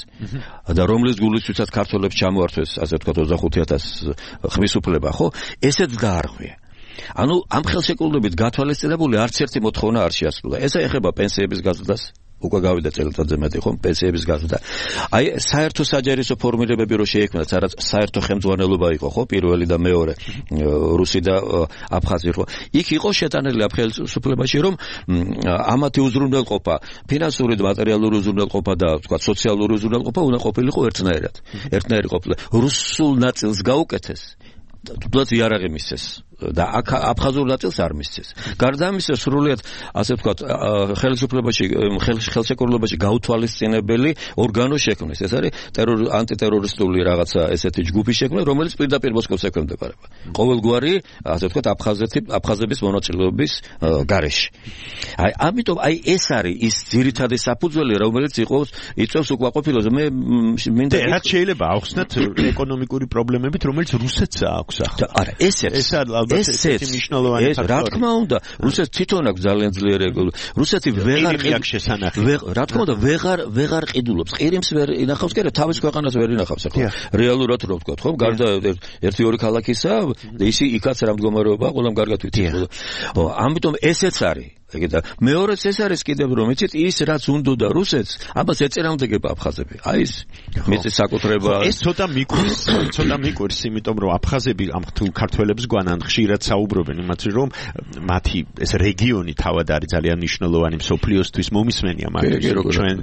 და რომლის გულისთვისაც ქართველებს ჩამოართვეს, ასე ვთქვათ, ოცდახუთი ათასი ხმის უფლება, ხო? ესეც დაარღვია. ანუ ამ ხელშეკრულებით გათვალისწინებული არც ერთი მოთხოვნა არ შეასრულა. ეს ეხება პენსიების გაზრდას, უკვე გავიდა წელიწადზე მეტი ხომ პენსიების გაზრდა. აი საერთო საჯარისო ფორმირებები რო შეიქმნა, სადაც საერთო ხელმძღვანელობა იყო, ხო, პირველი და მეორე რუსი და აფხაზი ხო. იქ იყო შეტანილი ამ ხელისუფლებაში, რომ ამათი უზრუნველყოფა, ფინანსური და მატერიალური უზრუნველყოფა და თქვა სოციალური უზრუნველყოფა უნდა ყოფილიყო ერთნაირად. ერთნაირი ყოფილა. რუსულ ნაწილს გაუკეთეს. თუნდაც იარაღი მისცეს და აფხაზურ ნაწილს არ მისცეს. გარდა ამისა, სრულიად ასე ვთქვათ, ხელისუფლებაში, ხელშეკრულებაში გაუთვალისწინებელი ორგანო შექმნეს. ეს არის ტერორ ანტიტერორისტული რაღაცა ესეთი ჯგუფი შექმნა, რომელიც პირდაპირ მოსკოვს ექვემდებარება. ყოველგვარი, ასე ვთქვათ, აფხაზეთი, აფხაზების მონაწილეობის გარეშე. აი, ამიტომ აი ეს არის ის ძირითადი საფუძველი, რომელიც იყოს იწვევს უკმაყოფილებას. მე მინდა რაც შეიძლება ახსნათ ეკონომიკური პრობლემებით, რომელიც რუსეთს აქვს. არა, ესეც ესეც მნიშვნელოვანი ფაქტორი. რა თქმა უნდა, რუსეთს თვითონ აქვს ძალიან ძლიერი ეკონომიკა. რუსეთი ვეღარ რა თქმა უნდა, ვეღარ ვეღარ ყიდულობს. ყირიმს ვერ ინახავს, კი არა, თავის ქვეყანას ვერ ინახავს ახლა. რეალურად რო ვთქვათ, ხო? გარდა ერთი ორი ქალაქისა, ისი იქაც რა მდგომარეობა, ყველამ კარგად ვიცით. ხო, ამიტომ ესეც არის. ეგეთა მეორეც ეს არის კიდევ რომ იცით ის რაც უნდოდა რუსეთს ამას ეწინააღმდეგება აფხაზები აი ეს მიწის საკუთრება ეს ცოტა მიკვირს ცოტა მიკვირს იმიტომ რომ აფხაზები ამ ქართველებს გვანან ხშირად საუბრობენ იმათი რომ მათი ეს რეგიონი თავად არის ძალიან მნიშვნელოვანი მსოფლიოსთვის მომისმენია მაგრამ ჩვენ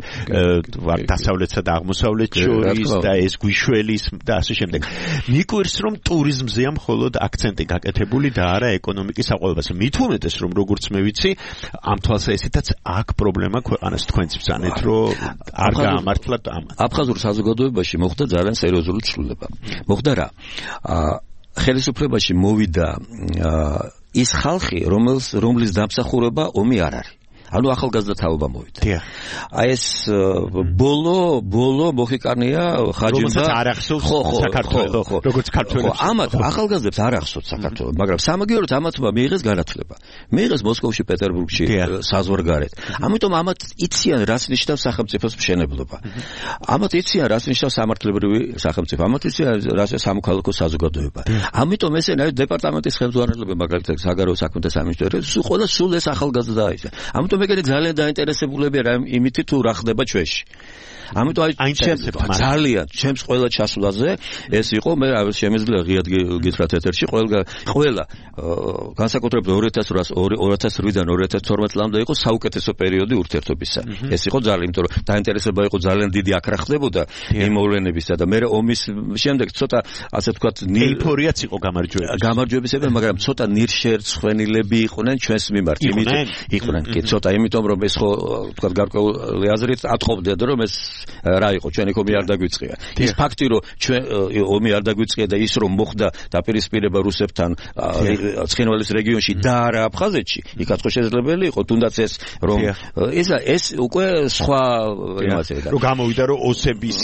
ვარ დასავლეთსა და აღმოსავლეთ შორის და ეს გვიშველის და ასე შემდეგ მიკვირს რომ ტურიზმზეა მხოლოდ აქცენტი გაკეთებული და არა ეკონომიკის საყოველთაო მით უმეტეს რომ როგორც მე ვიცი ამ თვალსაზრისითაც აქ პრობლემა ქვეყანას თქვენც ბრძანეთ რომ არ გაამართლათ ამ აფხაზურ საზოგადოებაში მოხდა ძალიან სერიოზული ცვლილება მოხდა რა ხელისუფლებაში მოვიდა ის ხალხი რომელს რომლის დამსახურება ომი არ არის ანუ ახალგაზრდა თაობა მოვიდა. აი ეს ბოლო ბოლო მოხიკანია ხაჯიმ და ხო ხო საქართველოს როგორც ქართველებს. ამათ ახალგაზრდებს არ ახსოვთ საქართველოს, მაგრამ სამაგიეროდ ამათმა მიიღეს განათლება. მიიღეს მოსკოვში, პეტერბურგში საზღვარგარეთ. ამიტომ ამათ იციან რას ნიშნავს სახელმწიფოს მშენებლობა. ამათ იციან რას ნიშნავს სამართლებრივი სახელმწიფო. ამათ იციან რას სამოქალაქო საზოგადოება. ამიტომ ესე ნაირ დეპარტამენტის ხელმძღვანელობა მაგალითად საგარეო საქმეთა სამინისტროში ყველა სულ ეს ახალგაზრდაა ის. ამიტომ მეგონი ძალიან დაინტერესებულებია რა იმითი თუ რა ხდება ჩვენში. ამიტომ აი ძალიან ჩემს ყველა ჩასვლაზე ეს იყო მე შემეძლია ღიად გითხრათ ეთერში ყველა ყველა განსაკუთრებით ორი ათას ორი-დან ორი ათას თორმეტ წლამდე იყო საუკეთესო პერიოდი ურთიერთობისა. ეს იყო ძალიან იმიტომ რომ დაინტერესება იყო ძალიან დიდი აქ რა ხდებოდა იმ მოვლენებისა და მე ომის შემდეგ ცოტა ასე ვთქვათ ნეიფორიაც იყო გამარჯვების გამარჯვებისები მაგრამ ცოტა ნირშერცხვენილები იყვნენ ჩვენს მიმართ იყვნენ იყვნენ კი ცოტა და იმიტომ რომ ეს ხო თქვა გარკვეული აზრით ატყობდნენ რომ ეს რა იყო ჩვენ ეკომი არ დაგვიწყია ის ფაქტი რომ ჩვენ ომი არ დაგვიწყია და ის რომ მოხდა დაპირისპირება რუსებთან ცხინვალის რეგიონში და არა აფხაზეთში იქაც ხო შესაძლებელი იყო თუნდაც ეს რომ ეს ეს უკვე სხვა იმასია რომ გამოვიდა რომ ოსების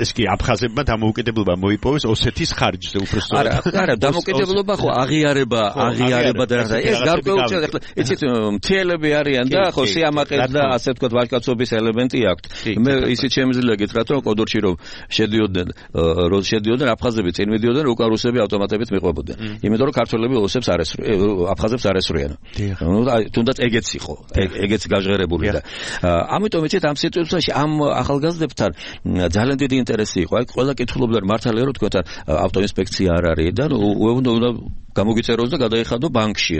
ეს კი აფხაზებმა დამოუკიდებლობა მოიპოვეს ოსეთის ხარჯზე უბრალოდ არა არა დამოუკიდებლობა ხო აღიარება აღიარება და რა ეს გარკვეული იცით მთიელები არიან და ხო სიამაყეს და ასე ვთქვათ ვაჟკაცობის ელემენტი აქვთ მე ისიც შემიძლია გითხრათ რომ კოდორში რომ შედიოდნენ რომ შედიოდნენ აფხაზები წინ მიდიოდნენ უკვე რუსები ავტომატებით მიყვებოდნენ იმიტომ რომ ქართველები ოსებს არ ესრუიან აფხაზებს არ ესრუიან ნუ თუნდაც ეგეც იყო ეგეც გაჟღერებული და ამიტომ იცით ამ სიტუაციაში ამ ახალგაზრდებთან ძალიან დიდი ინტერესი იყო აი ყველა კითხულობდა მართალია რომ თქვათ ავტოინსპექცია არ არის და უნდა გამოგიწეროს და გადაიხადო ბანკში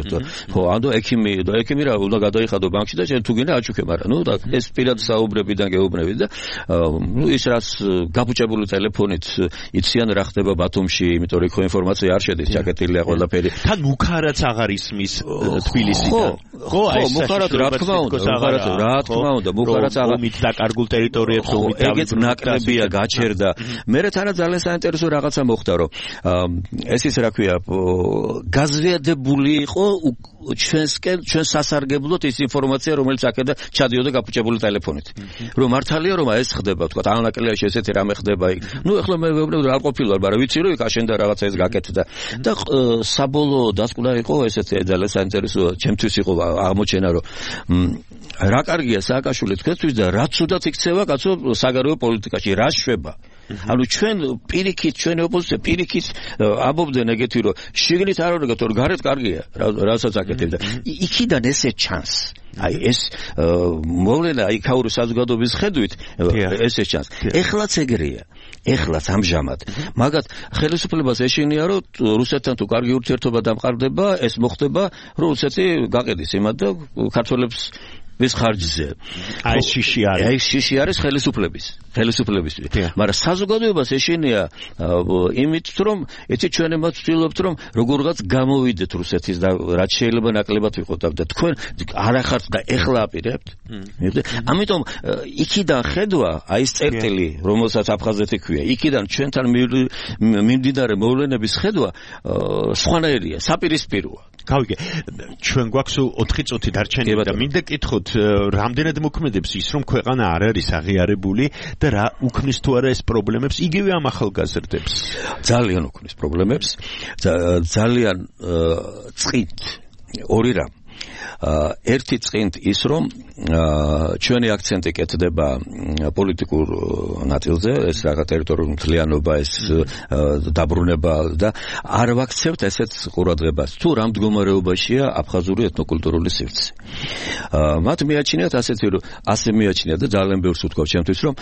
ხო ანუ ექიმი და ექიმი რა უნდა გადაიხადო ბანკში და შენ თუ გინდა აჩუქე მაგრამ ნუ და ეს პირად საუბრებიდან გეუბნები და ნუ ის რაც გაბუჭებული ტელეფონით იციან რა ხდება ბათუმში იმიტომ რომ ხო ინფორმაცია არ შედის ჩაკეტილია ყველაფერი თან მუქარაც აღარ ისმის თბილისიდან ხო აი მუქარაც რა თქმა უნდა მუქარაც რა თქმა უნდა მუქარაც აღარ ომით დაკარგულ ტერიტორიებს ომით ეგეც ნაკლებია გაჩერდა მე რა ძალიან საინტერესო რაღაცა მოხდა რომ ეს ის რა ქვია გაზვიადებული იყო ჩვენსკენ ჩვენ სასარგებლოდ ის ინფორმაცია რომელიც აქედა ჩადიოდა გაფუჭებული ტელეფონით რომ მართალია რომ ეს ხდება თქვა ანაკლიაში ესეთი რამე ხდება იქ ნუ ეხლა მე ვეუბნები რა ყოფილა მაგრამ ვიცი რომ იქ აშენდა რაღაცა ეს გაკეთდა და საბოლოო დასკვნა იყო ესეთი ძალიან საინტერესო ჩემთვის იყო აღმოჩენა რომ რა კარგია სააკაშვილი თქვენთვის და რაც უდაც იქცევა კაცო საგარეო პოლიტიკაში რა შვება ანუ ჩვენ პირიქით ჩვენი ოპოზიცია პირიქით ამბობდნენ ეგეთი რომ შიგნით არ ვარგოთ რომ გარეთ კარგია რასაც აკეთებდა იქიდან ესე ჩანს აი ეს მოვლენა იქაური საზოგადოების ხედვით ესე ჩანს ეხლაც ეგრეა ეხლაც ამჟამად მაგათ ხელისუფლებას ეშინია რომ რუსეთთან თუ კარგი ურთიერთობა დამყარდება ეს მოხდება რომ რუსეთი გაყიდის იმად და ქართველებს ვის ხარჯზე აი შიში არის აი შიში არის ხელისუფლების ხელისუფლების მაგრამ საზოგადოებას ეშინია იმით რომ ეცი ჩვენ εμაც ვცდილობთ რომ როგორღაც გამოვიდეთ რუსეთის და რაც შეიძლება ნაკლებად ვიყოთ და თქვენ არახართ და ეხლა აპირებთ ამიტომ იქიდან ხედვა აი ეს წერტილი რომელსაც აფხაზეთი ქვია იქიდან ჩვენთან მიმდინარე მოვლენების ხედვა სხვანაირია საპირისპიროა გავიგე ჩვენ გვაქვს ოთხი წუთი დარჩენილი და მინდა კითხოთ რამდენად მოქმედებს ის რომ ქვეყანა არ არის აღიარებული და რა უქმნის თუ არა ეს პრობლემებს იგივე ამ ახალგაზრდებს ძალიან უქმნის პრობლემებს ძალიან წყით ორი რამ ერთი წინთ ის რომ ჩვენი აქცენტი კეთდება პოლიტიკურ ნაწილზე ეს რაღაც ტერიტორიული მთლიანობა ეს დაბრუნება და არ ვაქცევთ ესეც ყურადღებას თუ რა მდგომარეობაშია აფხაზური ეთნოკულტურული სივრცე მათ მიაჩნიათ ასეთი რომ ასე მიაჩნიათ და ძალიან ბევრს ვთქვავ ჩემთვის რომ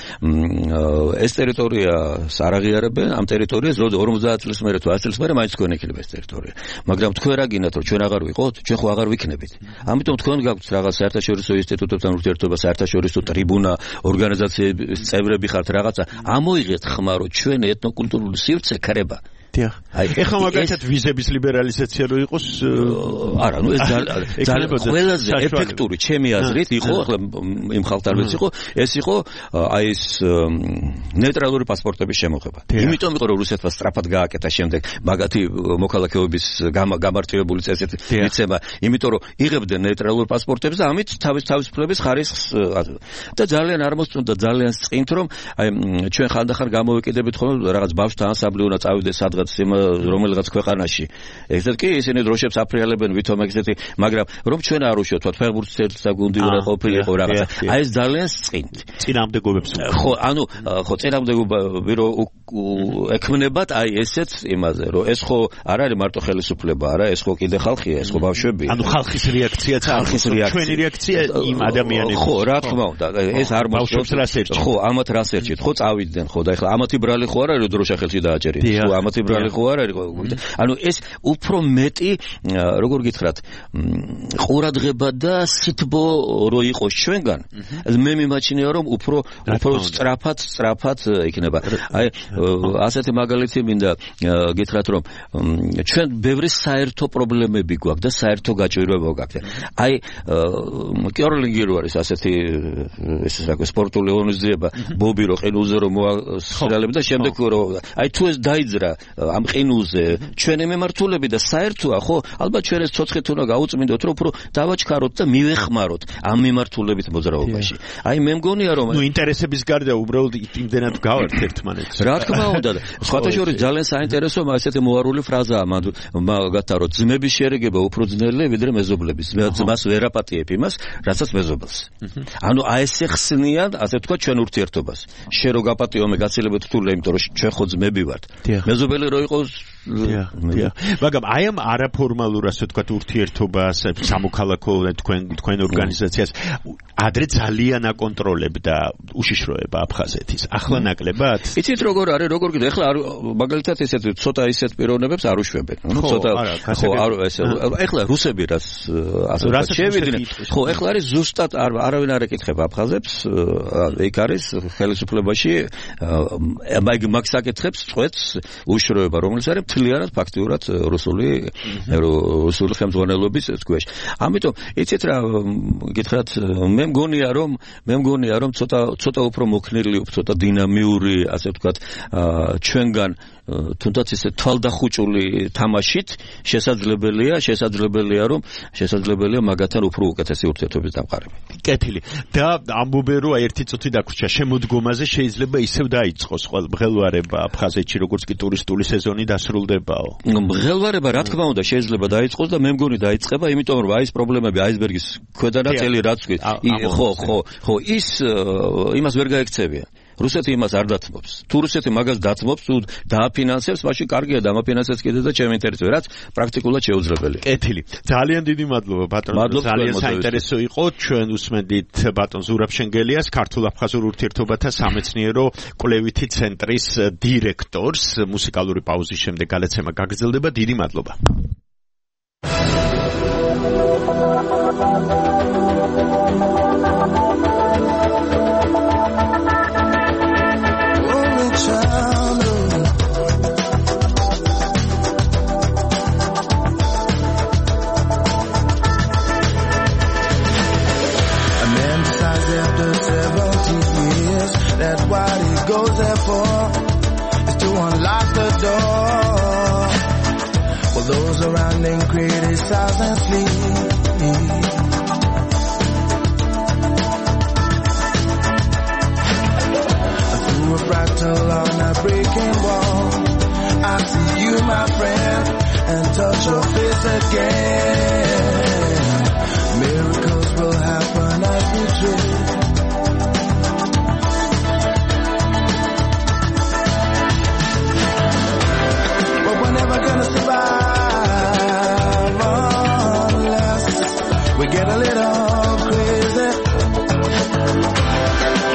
ეს ტერიტორია არაღიარებენ ამ ტერიტორიას ორმოცდაათ წლის მერე თუ ათი წლის მერე მაინც თქვენ იქნება ეს ტერიტორია მაგრამ თქვენ რა გინდათ რომ ჩვენ აღარ ვიყოთ ჩვენ ხო აღარ ვიქნებით ამიტომ თქვენ გაქვთ რაღაც საერთაშორისო ინსტიტუტებთან ურთიერთობა საერთაშორისო ტრიბუნა ორგანიზაციების წევრები ხართ რაღაცა ამოიღეთ ხმა რომ ჩვენ ეთნოკულტურული სივრცე ქრება აი ეხლა მაგალითად ვიზების ლიბერალიზაცია რო იყოს არა ნუ ეს ძალიან ყველაზე ეფექტური ჩემი აზრით იყო ახლა იმ ხალხთან რაც იყო ეს იყო აი ეს ნეიტრალური პასპორტების შემოღება იმიტომ იყო რომ რუსეთმა სწრაფად გააკეთა შემდეგ მაგათი მოქალაქეობის გამარტივებული წესით მიცემა იმიტომ რომ იღებდნენ ნეიტრალურ პასპორტებს და ამით თავის თავისუფლების ხარისხს და ძალიან არ მოსწონდა ძალიან წინთ რომ აი ჩვენ ხანდახან გამოვეკიდებით ხოლმე რაღაც ბავშვთა ანსამბლი უნდა წავიდეს სადღაც რომელიღაც ქვეყანაში ეგეთ კი ისინი დროშებს აფრიალებენ ვითომ ეგეთი მაგრამ რომ ჩვენ არ უშოთ თქვა ფეხბურთის გუნდი უნდა ყოფილიყო რაღაცა აი ეს ძალიან წინთ წინამდებობებს ხო ანუ ხო წინამდებობები რომ ექმნებათ აი ესეც იმაზე რომ ეს ხო არ არის მარტო ხელისუფლება არა ეს ხო კიდე ხალხია ეს ხო ბავშვებია ანუ ხალხის რეაქციაც არის ჩვენი რეაქცია იმ ადამიანებს ხო რა თქმა უნდა ეს არ ბავშვებს რას ერჩით ხო ამათ რას ერჩით ხო წავიდნენ ხო და ეხლა ამათი ბრალი ხო არ არის რომ დროშა ხელში დააჭერეთ ხო ამათი ბრალი ნეიტრალი ხო არ არის ანუ ეს უფრო მეტი როგორ გითხრათ ყურადღება და სითბო რო იყოს ჩვენგან მე მიმაჩნია რომ უფრო უფრო სწრაფად სწრაფად იქნება აი ასეთი მაგალითი მინდა გითხრათ რომ ჩვენ ბევრი საერთო პრობლემები გვაქვს და საერთო გაჭირვება გვაქვს აი კერლინგი რო არის ასეთი ეს რა სპორტული ორგანიზება ბობი რო ყინულზე რომ მოასწრალებ და შემდეგ რო აი თუ ეს დაიძრა ამ ყინულზე ჩვენი მემართულები და საერთოა ხო ალბათ ჩვენ ეს ცოცხლით უნდა გაუწმინდოთ რომ უფრო დავაჩქაროთ და მივეხმაროთ ამ მემართულებით მოძრაობაში აი მე მგონია რომ ნუ ინტერესების გარდა უბრალოდ იმდენად გავართ ერთმანეთს რა თქმა უნდა სხვათა შორის ძალიან საინტერესო ასეთი მოარული ფრაზაა მაგათაც რომ ძმების შერიგება უფრო ძნელია ვიდრე მეზობლების ძმას ვერ აპატიებ იმას რასაც მეზობელს ანუ აი ეს ხსნიან ასე თქვა ჩვენ ურთიერთობას შენ რო გაპატიო მე გაცილებით რთულია იმიტომ რომ ჩვენ ხო ძმები ვართ მეზობელი რო იყოს მაგრამ აი ამ არაფორმალურ ასე ვთქვათ ურთიერთობას სამოქალაქო თქვენ თქვენ ორგანიზაციას ადრე ძალიან აკონტროლებდა უშიშროება აფხაზეთის ახლა ნაკლებად იცით როგორ არის როგორ კიდე ახლა მაგალითად ესეთ ცოტა ისეთ პიროვნებებს არ უშვებენ ნუ ცოტა ხო არ ეს ახლა რუსები რაც ასე ვთქვათ შევიდნენ ხო ახლა არის ზუსტად არავინ არ ეკითხება აფხაზებს ეგ არის ხელისუფლებაში მაგ მაგ საკითხებს წვეთს უშიშროება რომელიც არის მთლიანად ფაქტიურად რუსული რუსული ხელმძღვანელობის სქუეში. ამიტომ იცით რა გითხრათ მე მგონია რომ მე მგონია რომ ცოტა ცოტა უფრო მოქნილი, ცოტა დინამიური, ასე ვთქვათ, ჩვენგან თუნდაც ესე თვალდახუჭული თამაშით შესაძლებელია, შესაძლებელია რომ შესაძლებელია მაგათთან უფრო უკეთესი ურთიერთობის დამყარება. კეთილი. და ამბობენ რომ ერთი წუთი დაგვრჩა შემოდგომაზე შეიძლება ისევ დაიწყოს ყველმღელვარება აფხაზეთში როგორც კი ტურისტული სეზონი დასრულდებაო. მღელვარება რა თქმა უნდა შეიძლება დაიწყოს და მე მგონი დაიწყება, იმიტომ რომ აი ეს პრობლემები აისბერგის ქვედანაწილი რაც კი ხო ხო ხო ის იმას ვერ გაექცევია. რუსეთი იმას არ დათმობს. თუ რუსეთი მაგას დათმობს, თუ დააფინანსებს, მაშინ კარგია დამაფინანსებს კიდე და ჩემი ინტერესია, რაც პრაქტიკულად შეუძლებელია. კეთილი. ძალიან დიდი მადლობა ბატონო. ძალიან საინტერესო იყო. ჩვენ უსმენდით ბატონ ზურაბ შენგელიას, ქართულ-აფხაზურ ურთიერთობათა სამეცნიერო კვლევითი ცენტრის დირექტორს. მუსიკალური პაუზის შემდეგ გალაცემა გაგრძელდება. დიდი მადლობა. That's what he goes there for, is to unlock the door. While those around him criticize and flee. Through a fractal on a breaking wall, I see you, my friend, and touch your face again. Miracles will happen as we drift. Never gonna survive unless we get a little crazy.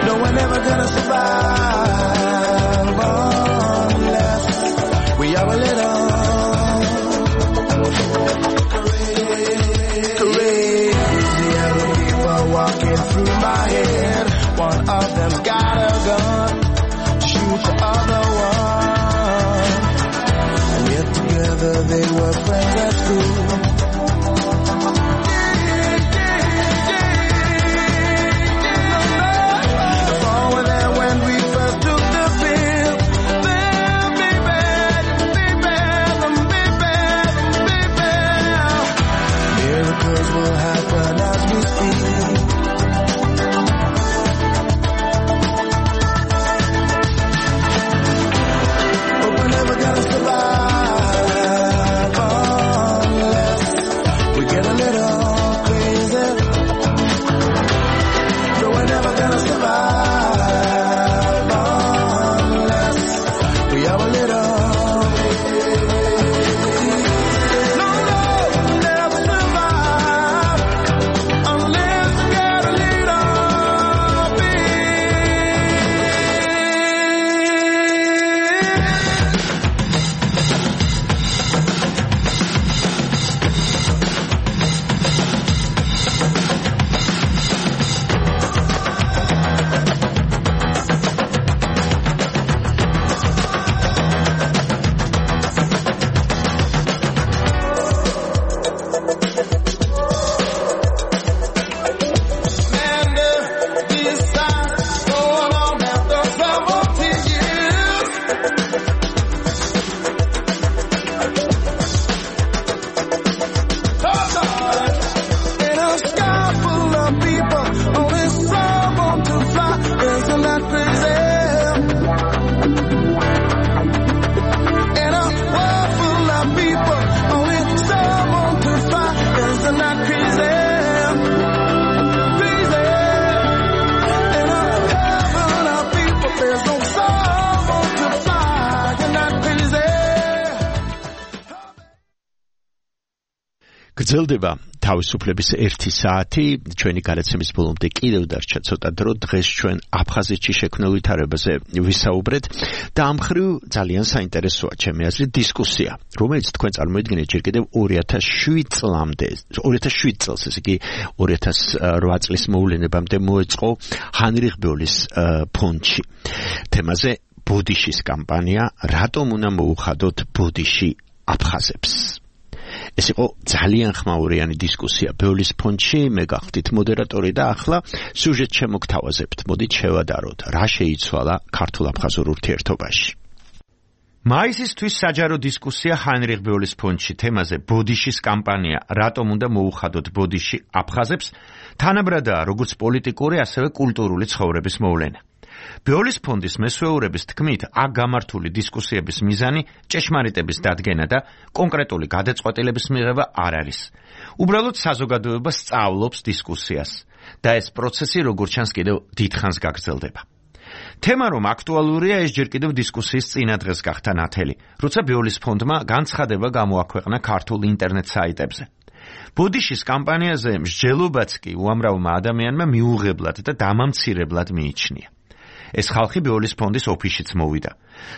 No, we're never gonna survive unless we are a little crazy. Other people walking through my head. One of them's got a gun to shoot the other one. They were friends at school. The fall were there when we first took the pill. Then be bad, be bad, be bad, be bad. Miracles will happen as we speak. But we're never gonna survive. გრძელდება თავისუფლების ერთი საათი, ჩვენი გადაცემის ბოლომდე კიდევ დარჩა ცოტა დრო, დღეს ჩვენ აფხაზეთში შექმნილ ვითარებაზე ვისაუბრეთ და ამ მხრივ ძალიან საინტერესოა ჩემი აზრით დისკუსია, რომელიც თქვენ წარმოიდგინეთ ჯერ კიდევ ორი ათას შვიდ წლამდე, ორი ათას შვიდ წელს, ესე იგი ორი ათას რვა წლის მოვლენებამდე მოეწყო ჰანრიხ ბეოლის ფონდში. თემაზე ბოდიშის კამპანია, რატომ უნდა მოუხადოთ ბოდიში აფხაზებს? ეს იყო ძალიან ხმაურიანი დისკუსია ბეოლის ფონდში, მე გახდით მოდერატორი და ახლა სიუჟეტს შემოგთავაზებთ. მოდით შევადაროთ, რა შეიცვალა ქართულ-აფხაზურ ურთიერთობაში. მაისისთვის საჯარო დისკუსია ჰაინრიხ ბეოლის ფონდში თემაზე ბოდიშის კამპანია, რატომ უნდა მოუხადოთ ბოდიში აფხაზებს, თანაბრადაა როგორც პოლიტიკური, ასევე კულტურული ცხოვრების მოვლენა. ბეოლის ფონდის მესვეურების თქმით, აქ გამართული დისკუსიების მიზანი ჭეშმარიტების დადგენა და კონკრეტული გადაწყვეტილების მიღება არ არის. უბრალოდ საზოგადოება სწავლობს დისკუსიას და ეს პროცესი როგორც ჩანს კიდევ დიდხანს გაგრძელდება. თემა რომ აქტუალურია, ეს ჯერ კიდევ დისკუსიის წინა დღეს გახდა ნათელი, როცა ბეოლის ფონდმა განცხადება გამოაქვეყნა ქართულ ინტერნეტ საიტებზე. ბოდიშის კამპანიაზე მსჯელობაც კი უამრავმა ადამიანმა მიუღებლად და დამამცირებლად მიიჩნია. ეს ხალხი ბეოლის ფონდის ოფისშიც მოვიდა.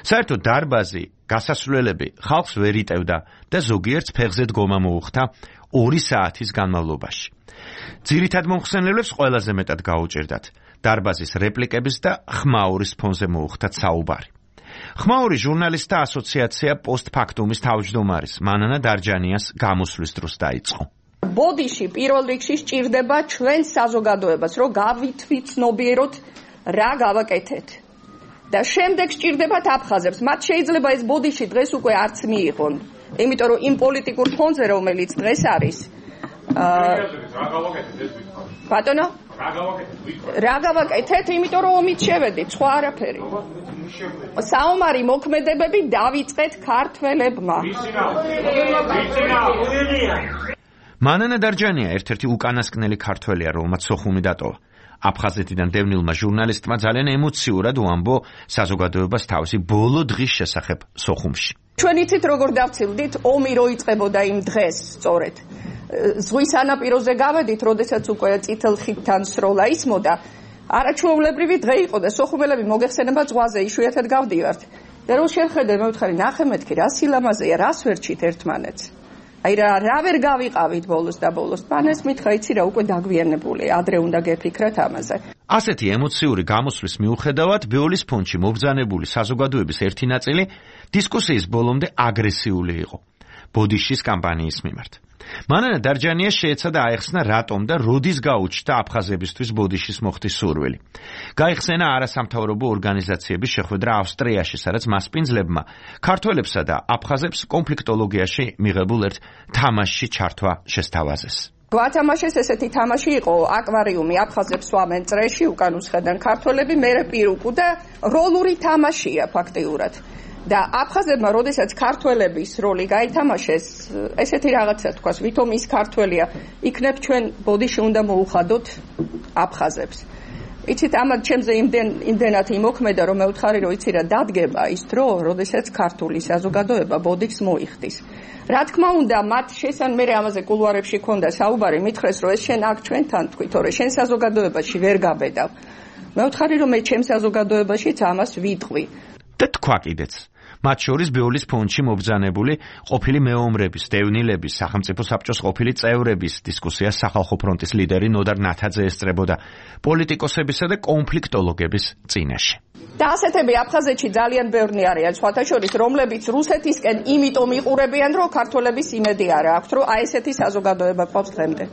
საერთოდ დარბაზი, გასასვლელები ხალხს ვერ იტევდა და ზოგიერთს ფეხზე დგომა მოუხდა ორი საათის განმავლობაში. ძირითად მომხსენებლებს ყველაზე მეტად გაუჭირდათ დარბაზის რეპლიკების და ხმაურის ფონზე მოუხდათ საუბარი. ხმაური ჟურნალისტთა ასოციაცია პოსტფაქტუმის თავმჯდომარის მანანა დარჯანიას გამოსვლის დროს დაიწყო. ბოდიში პირველ რიგში სჭირდება ჩვენ საზოგადოებას, რომ გავითვითნობიეროთ რა გავაკეთეთ და შემდეგ სჭირდებათ აფხაზებს. მათ შეიძლება ეს ბოდიში დღეს უკვე არც მიიღონ, იმიტომ რომ იმ პოლიტიკურ ფონზე, რომელიც დღეს არის, ბატონო, რა გავაკეთეთ, იმიტომ რომ ომით შევედით, სხვა არაფერი. საომარი მოქმედებები დავიწყეთ ქართველებმა. მანანა დარჯანია ერთ-ერთი უკანასკნელი ქართველია, რომელმაც სოხუმი დატოვა. აფხაზეთიდან დევნილმა ჟურნალისტმა ძალიან ემოციურად უამბო საზოგადოებას თავისი ბოლო დღის შესახებ სოხუმში. ჩვენ იცით როგორ დავცილდით, ომი რო იწყებოდა იმ დღეს, სწორედ. ზღვის სანაპიროზე გავედით, როდესაც უკვე წითელ ხიდთან სროლა ისმოდა, არაჩვეულებრივი დღე იყო და სოხუმელები მოგეხსენება ზღვაზე იშვიათად გავდივართ. და რო შევხედე, მე ვთხარი, ნახე მეთქი, რა სილამაზეა, რას ვერჩით ერთმანეთს. აი რა რა ვერ გავიყავით ბოლოს და ბოლოს. მან ეს მითხრა, იცი რა, უკვე დაგვიანებული, ადრე უნდა გეფიქრათ ამაზე. ასეთი ემოციური გამოსვლის მიუხედავად, ბეოლის ფონდში მობრძანებული საზოგადოების ერთი ნაწილი დისკუსიის ბოლომდე აგრესიული იყო ბოდიშის კამპანიის მიმართ. მანანა დარჯანია შეეცადა აეხსნა რატომ და როდის გაუჩნდა აფხაზებისთვის ბოდიშის მოხდის სურვილი. გაიხსენა არასამთავრობო ორგანიზაციების შეხვედრა ავსტრიაში, სადაც მასპინძლებმა ქართველებსა და აფხაზებს კონფლიქტოლოგიაში მიღებულ ერთ თამაშში ჩართვა შესთავაზეს. გვათამაშეს ესეთი თამაში იყო, აკვარიუმი, აფხაზებს სვამენ წრეში, უკან უსხედან ქართველები, მერე პირუკუ და როლური თამაშია ფაქტიურად. და აფხაზებმა, როდესაც ქართველების როლი გაითამაშეს, ესეთი რაღაცა თქვას, ვითომ ის ქართველია, იქნებ ჩვენ ბოდიში უნდა მოუხადოთ აფხაზებს. იცით, ამათ ჩემზე იმდენ იმდენად იმოქმედა, რომ მე ვთხარი, რომ იცი რა, დადგება ის დრო, როდესაც ქართული საზოგადოება ბოდიშს მოიხდის. რა თქმა უნდა, მათ შესან მე ამაზე კულუარებში ქონდა საუბარი, მითხრეს, რომ ეს შენ აქ ჩვენთან თქვი, თორე შენ საზოგადოებაში ვერ გაბედავ. მე ვთხარი, რომ მე ჩემ საზოგადოებაშიც ამას ვიტყვი. და თქვა კიდეც მათ შორის ბეოლის ფონდში მობრძანებული ყოფილი მეომრების, დევნილების, სახელმწიფო საბჭოს ყოფილი წევრების დისკუსიას სახალხო ფრონტის ლიდერი ნოდარ ნათაძე ესწრებოდა პოლიტიკოსებისა და კონფლიქტოლოგების წინაშე. და ასეთები აფხაზეთში ძალიან ბევრი არიან, სხვათა შორის, რომლებიც რუსეთისკენ იმიტომ იყურებიან, რომ ქართველების იმედი არ აქვთ, რომ აი ესეთი საზოგადოება ყავს დღემდე.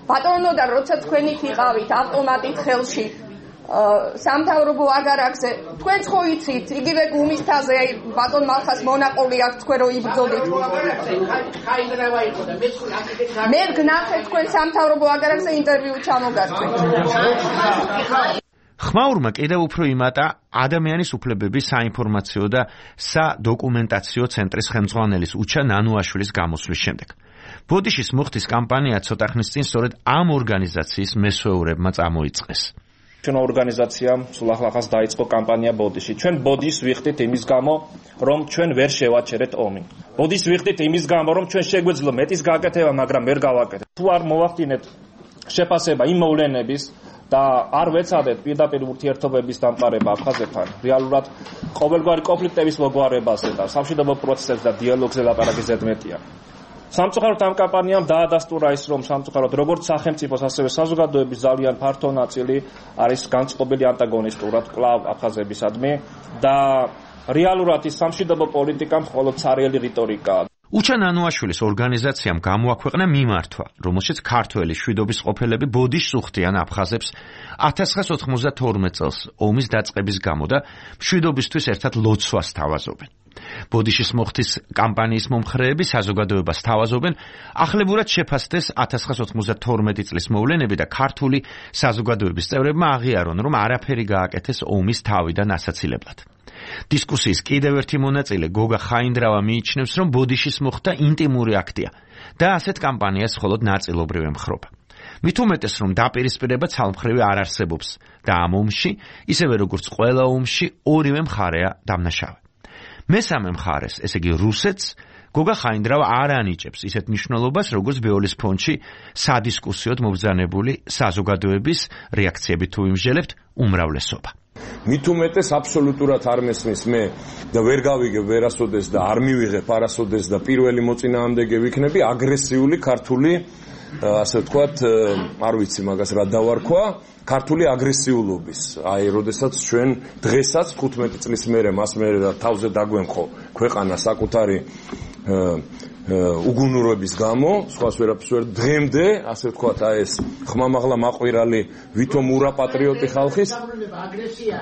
ბატონო და როცა თქვენი ვიყავით ავტომატით ხელში სამთავრობო აგარაკზე, თქვენც ხო იცით, იგივე გუმის თაზე, აი ბატონ მალხას მონაყოლი აქვს თქვენ რო იბრძოდით. მე გნახეთ თქვენ სამთავრობო აგარაკზე ინტერვიუ ჩამოგართვით. ხმაურმა კიდევ უფრო იმატა ადამიანის უფლებების საინფორმაციო და სადოკუმენტაციო ცენტრის ხელმძღვანელის უჩა ნანუაშვილის გამოსვლის შემდეგ. ბოდიშის მუხტის კამპანია ცოტა ხნის წინ სწორედ ამ ორგანიზაციის მესვეურებმა წამოიწყეს. ჩვენ ორგანიზაციამ სულ ახლახანს დაიწყო კამპანია ბოდიში. ჩვენ ბოდიშს ვიხდით იმის გამო, რომ ჩვენ ვერ შევაჩერეთ ომი. ბოდიშს ვიხდით იმის გამო, რომ ჩვენ შეგვეძლო მეტის გაკეთება, მაგრამ ვერ გავაკეთეთ. თუ არ მოვახდინეთ შეფასება იმ მოვლენების და არ ვეცადეთ პირდაპირ ურთიერთობების დამყარება აფხაზეთთან, რეალურად ყოველგვარი კონფლიქტების მოგვარებაზე და სამშვიდობო პროცესებზე და დიალოგზე ლაპარაკი ზედმეტია. სამწუხაროდ ამ კამპანიამ დაადასტურა ის, რომ სამწუხაროდ როგორც სახელმწიფოს, ასევე საზოგადოების ძალიან ფართო ნაწილი არის განწყობილი ანტაგონისტურად კვლავ აფხაზებისადმი და რეალურად ის სამშვიდობო პოლიტიკა მხოლოდ ცარიელი რიტორიკაა. უჩა ნანუაშვილის ორგანიზაციამ გამოაქვეყნა მიმართვა, რომელშიც ქართველი შვიდობის ყოფილები ბოდიშს უხდიან აფხაზებს ათას ცხრაას ოთხმოცდათორმეტ წელს ომის დაწყების გამო და შვიდობისთვის ერთად ლოცვას თავაზობენ. ბოდიშის მოხდის კამპანიის მომხრეები საზოგადოებას თავაზობენ ახლებურად შეფასდეს ათას ცხრაას ოთხმოცდათორმეტი წლის მოვლენები და ქართული საზოგადოების წევრებმა აღიარონ, რომ არაფერი გააკეთეს ომის თავიდან ასაცილებლად. დისკუსიის კიდევ ერთი მონაწილე გოგა ხაინდრავა მიიჩნევს, რომ ბოდიშის მოხდა ინტიმური აქტია და ასეთ კამპანიას მხოლოდ ნაწილობრივ ემხრობა. მით უმეტეს, რომ დაპირისპირება ცალმხრივი არ არსებობს და ამ ომში, ისევე როგორც ყველა ომში, ორივე მხარეა დამნაშავე. მესამე მხარეს, ესე იგი რუსეთს, გოგა ხაინდრავა არ ანიჭებს ისეთ მნიშვნელობას, როგორც ბეოლის ფონდში სადისკუსიოდ მობრძანებული საზოგადოების რეაქციები თუ იმსჯელებთ უმრავლესობა. მით უმეტეს აბსოლუტურად არ მესმის მე და ვერ გავიგებ ვერასოდეს და არ მივიღებ არასოდეს და პირველი მოწინააღმდეგე ვიქნები აგრესიული ქართული ასე ვთქვათ, არ ვიცი მაგას რა დავარქვა, ქართული აგრესიულობის. აი, როდესაც ჩვენ დღესაც თხუთმეტი წლის მერე მას მერე თავზე დაგვემხო ქვეყანა საკუთარი უგუნურობის გამო, სხვას ვერაფერს ვერ დღემდე, ასე ვთქვათ, აი ეს ხმამაღლა მაყვირალი ვითომ ურა პატრიოტი ხალხის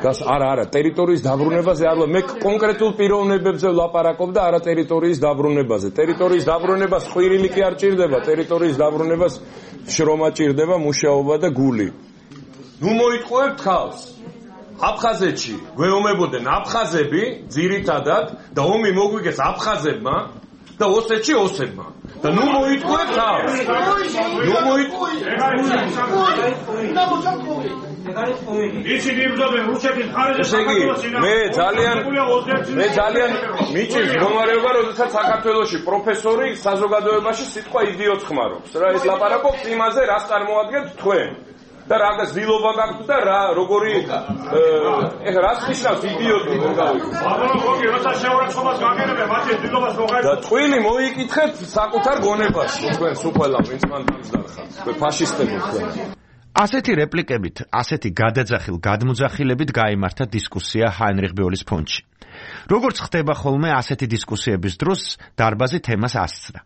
გას არა არა ტერიტორიის დაბრუნებაზე არ მე კონკრეტულ პიროვნებებზე ვლაპარაკობ და არა ტერიტორიის დაბრუნებაზე. ტერიტორიის დაბრუნებას ხვირილი კი არ ჭირდება, ტერიტორიის დაბრუნებას შრომა ჭირდება, მუშაობა და გული. ნუ მოიტყუებთ ხალხს. აფხაზეთში გვეომებოდნენ აფხაზები ძირითადად და ომი მოგვიგეს აფხაზებმა და ოსეთში ოსებმა. და ნუ მოიტყუებთ ხალხს. ნუ მოიტყუებთ. ისინი იბრძოდნენ რუსეთის მხარეზე საქართველოში. მე ძალიან მე ძალიან მიჭირს მდგომარეობა, როდესაც საქართველოში პროფესორი საზოგადოებაში სიტყვა იდიოტს ხმარობს. რა ეს ლაპარაკობს იმაზე, რას წარმოადგენთ თქვენ. და რაღაც დილობა გაქვთ და რა როგორი ეხლა რას ნიშნავს იდიოტი რომ გავიგე. აბა გოგი როცა შეურაცხყოფას გაგერებე მათი დილობას მოღაერთო. და ტყვილი მოიკითხეთ საკუთარ გონებაში თქვენ სულ ყველა ვინც მან დამსდარხართ. თქვენ ფაშისტები თქვენ. ასეთი რეპლიკებით, ასეთი გადაძახილ გადმოძახილებით გაიმართა დისკუსია ჰაინრიხ ბეოლის ფონდში. როგორც ხდება ხოლმე ასეთი დისკუსიების დროს დარბაზი თემას ასწრა.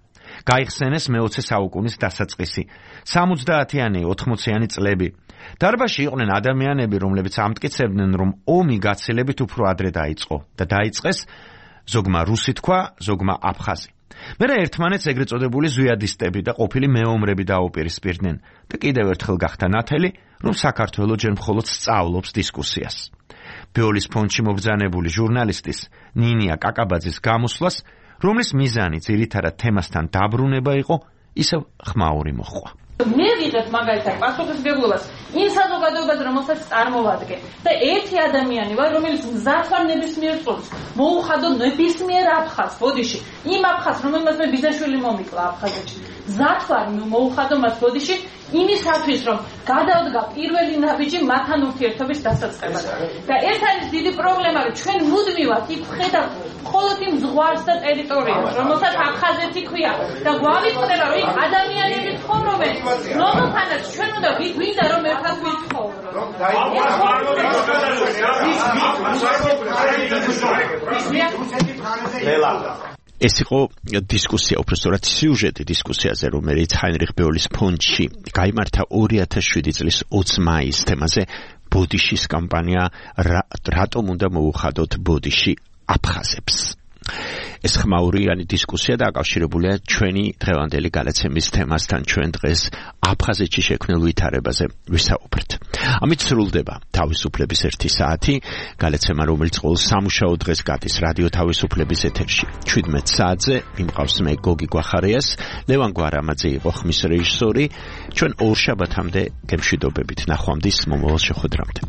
გაიხსენეს მეოცე საუკუნის დასაწყისი, სამოცდაათიანი, ოთხმოციანი წლები. დარბაზში იყვნენ ადამიანები, რომლებიც ამტკიცებდნენ, რომ ომი გაცილებით უფრო ადრე დაიწყო და დაიწყეს ზოგმა რუსი თქვა, ზოგმა აფხაზი. მერე ერთმანეთს ეგრეთ წოდებული ზვიადისტები და ყოფილი მეომრები დაუპირისპირდნენ და კიდევ ერთხელ გახდა ნათელი, რომ საქართველო ჯერ მხოლოდ სწავლობს დისკუსიას. ბეოლის ფონდში მობრძანებული ჟურნალისტის ნინია კაკაბაძის გამოსვლას, რომლის მიზანი ძირითადად თემასთან დაბრუნება იყო, ისევ ხმაური მოჰყვა. მე ვიღებ მაგალითად პასუხისმგებლობას იმ საზოგადოებაზე, რომელსაც წარმოვადგენ და ერთი ადამიანი ვარ, რომელიც მზად ვარ ნებისმიერ წუთს მოუხადო ნებისმიერ აფხაზს ბოდიში, იმ აფხაზს, რომელმაც მე ბიძაშვილი მომიკლა აფხაზეთში, მზად ვარ მოუხადო მას ბოდიში იმისათვის, რომ გადავდგა პირველი ნაბიჯი მათთან ურთიერთობის დასაწყებად. და ეს არის დიდი პრობლემა, რომ ჩვენ მუდმივად იქ ვხედავთ მხოლოდ იმ ზღვარს და ტერიტორიას, რომელსაც აფხაზეთი ქვია და გვავიწყდება, რომ იქ ადამიანები ცხოვრობენ, რომელთანაც ჩვენ უნდა გვინდა რომ ერთად ვიცხოვროთ. ეს იყო დისკუსია, უბრალოდ სიუჟეტი დისკუსიაზე, რომელიც ჰაინრიხ ბეოლის ფონდში გაიმართა ორი ათას შვიდი წლის ოცი მაისს თემაზე ბოდიშის კამპანია რატომ უნდა მოუხადოთ ბოდიში აფხაზებს. ეს ხმაურიანი დისკუსია დაკავშირებულია ჩვენი დღევანდელი გადაცემის თემასთან. ჩვენ დღეს აფხაზეთში შექმნილ ვითარებაზე ვისაუბრეთ. ამით სრულდება თავისუფლების ერთი საათი, გადაცემა რომელიც ყოველ სამუშაო დღეს გადის რადიო თავისუფლების ეთერში. შვიდმეტ საათზე მიმყავს მე გოგი გვახარიას, ლევან გვარამაძე იყო ხმის რეჟისორი. ჩვენ ორ შაბათამდე გემშვიდობებით, ნახვამდის მომავალ შეხვედრამდე.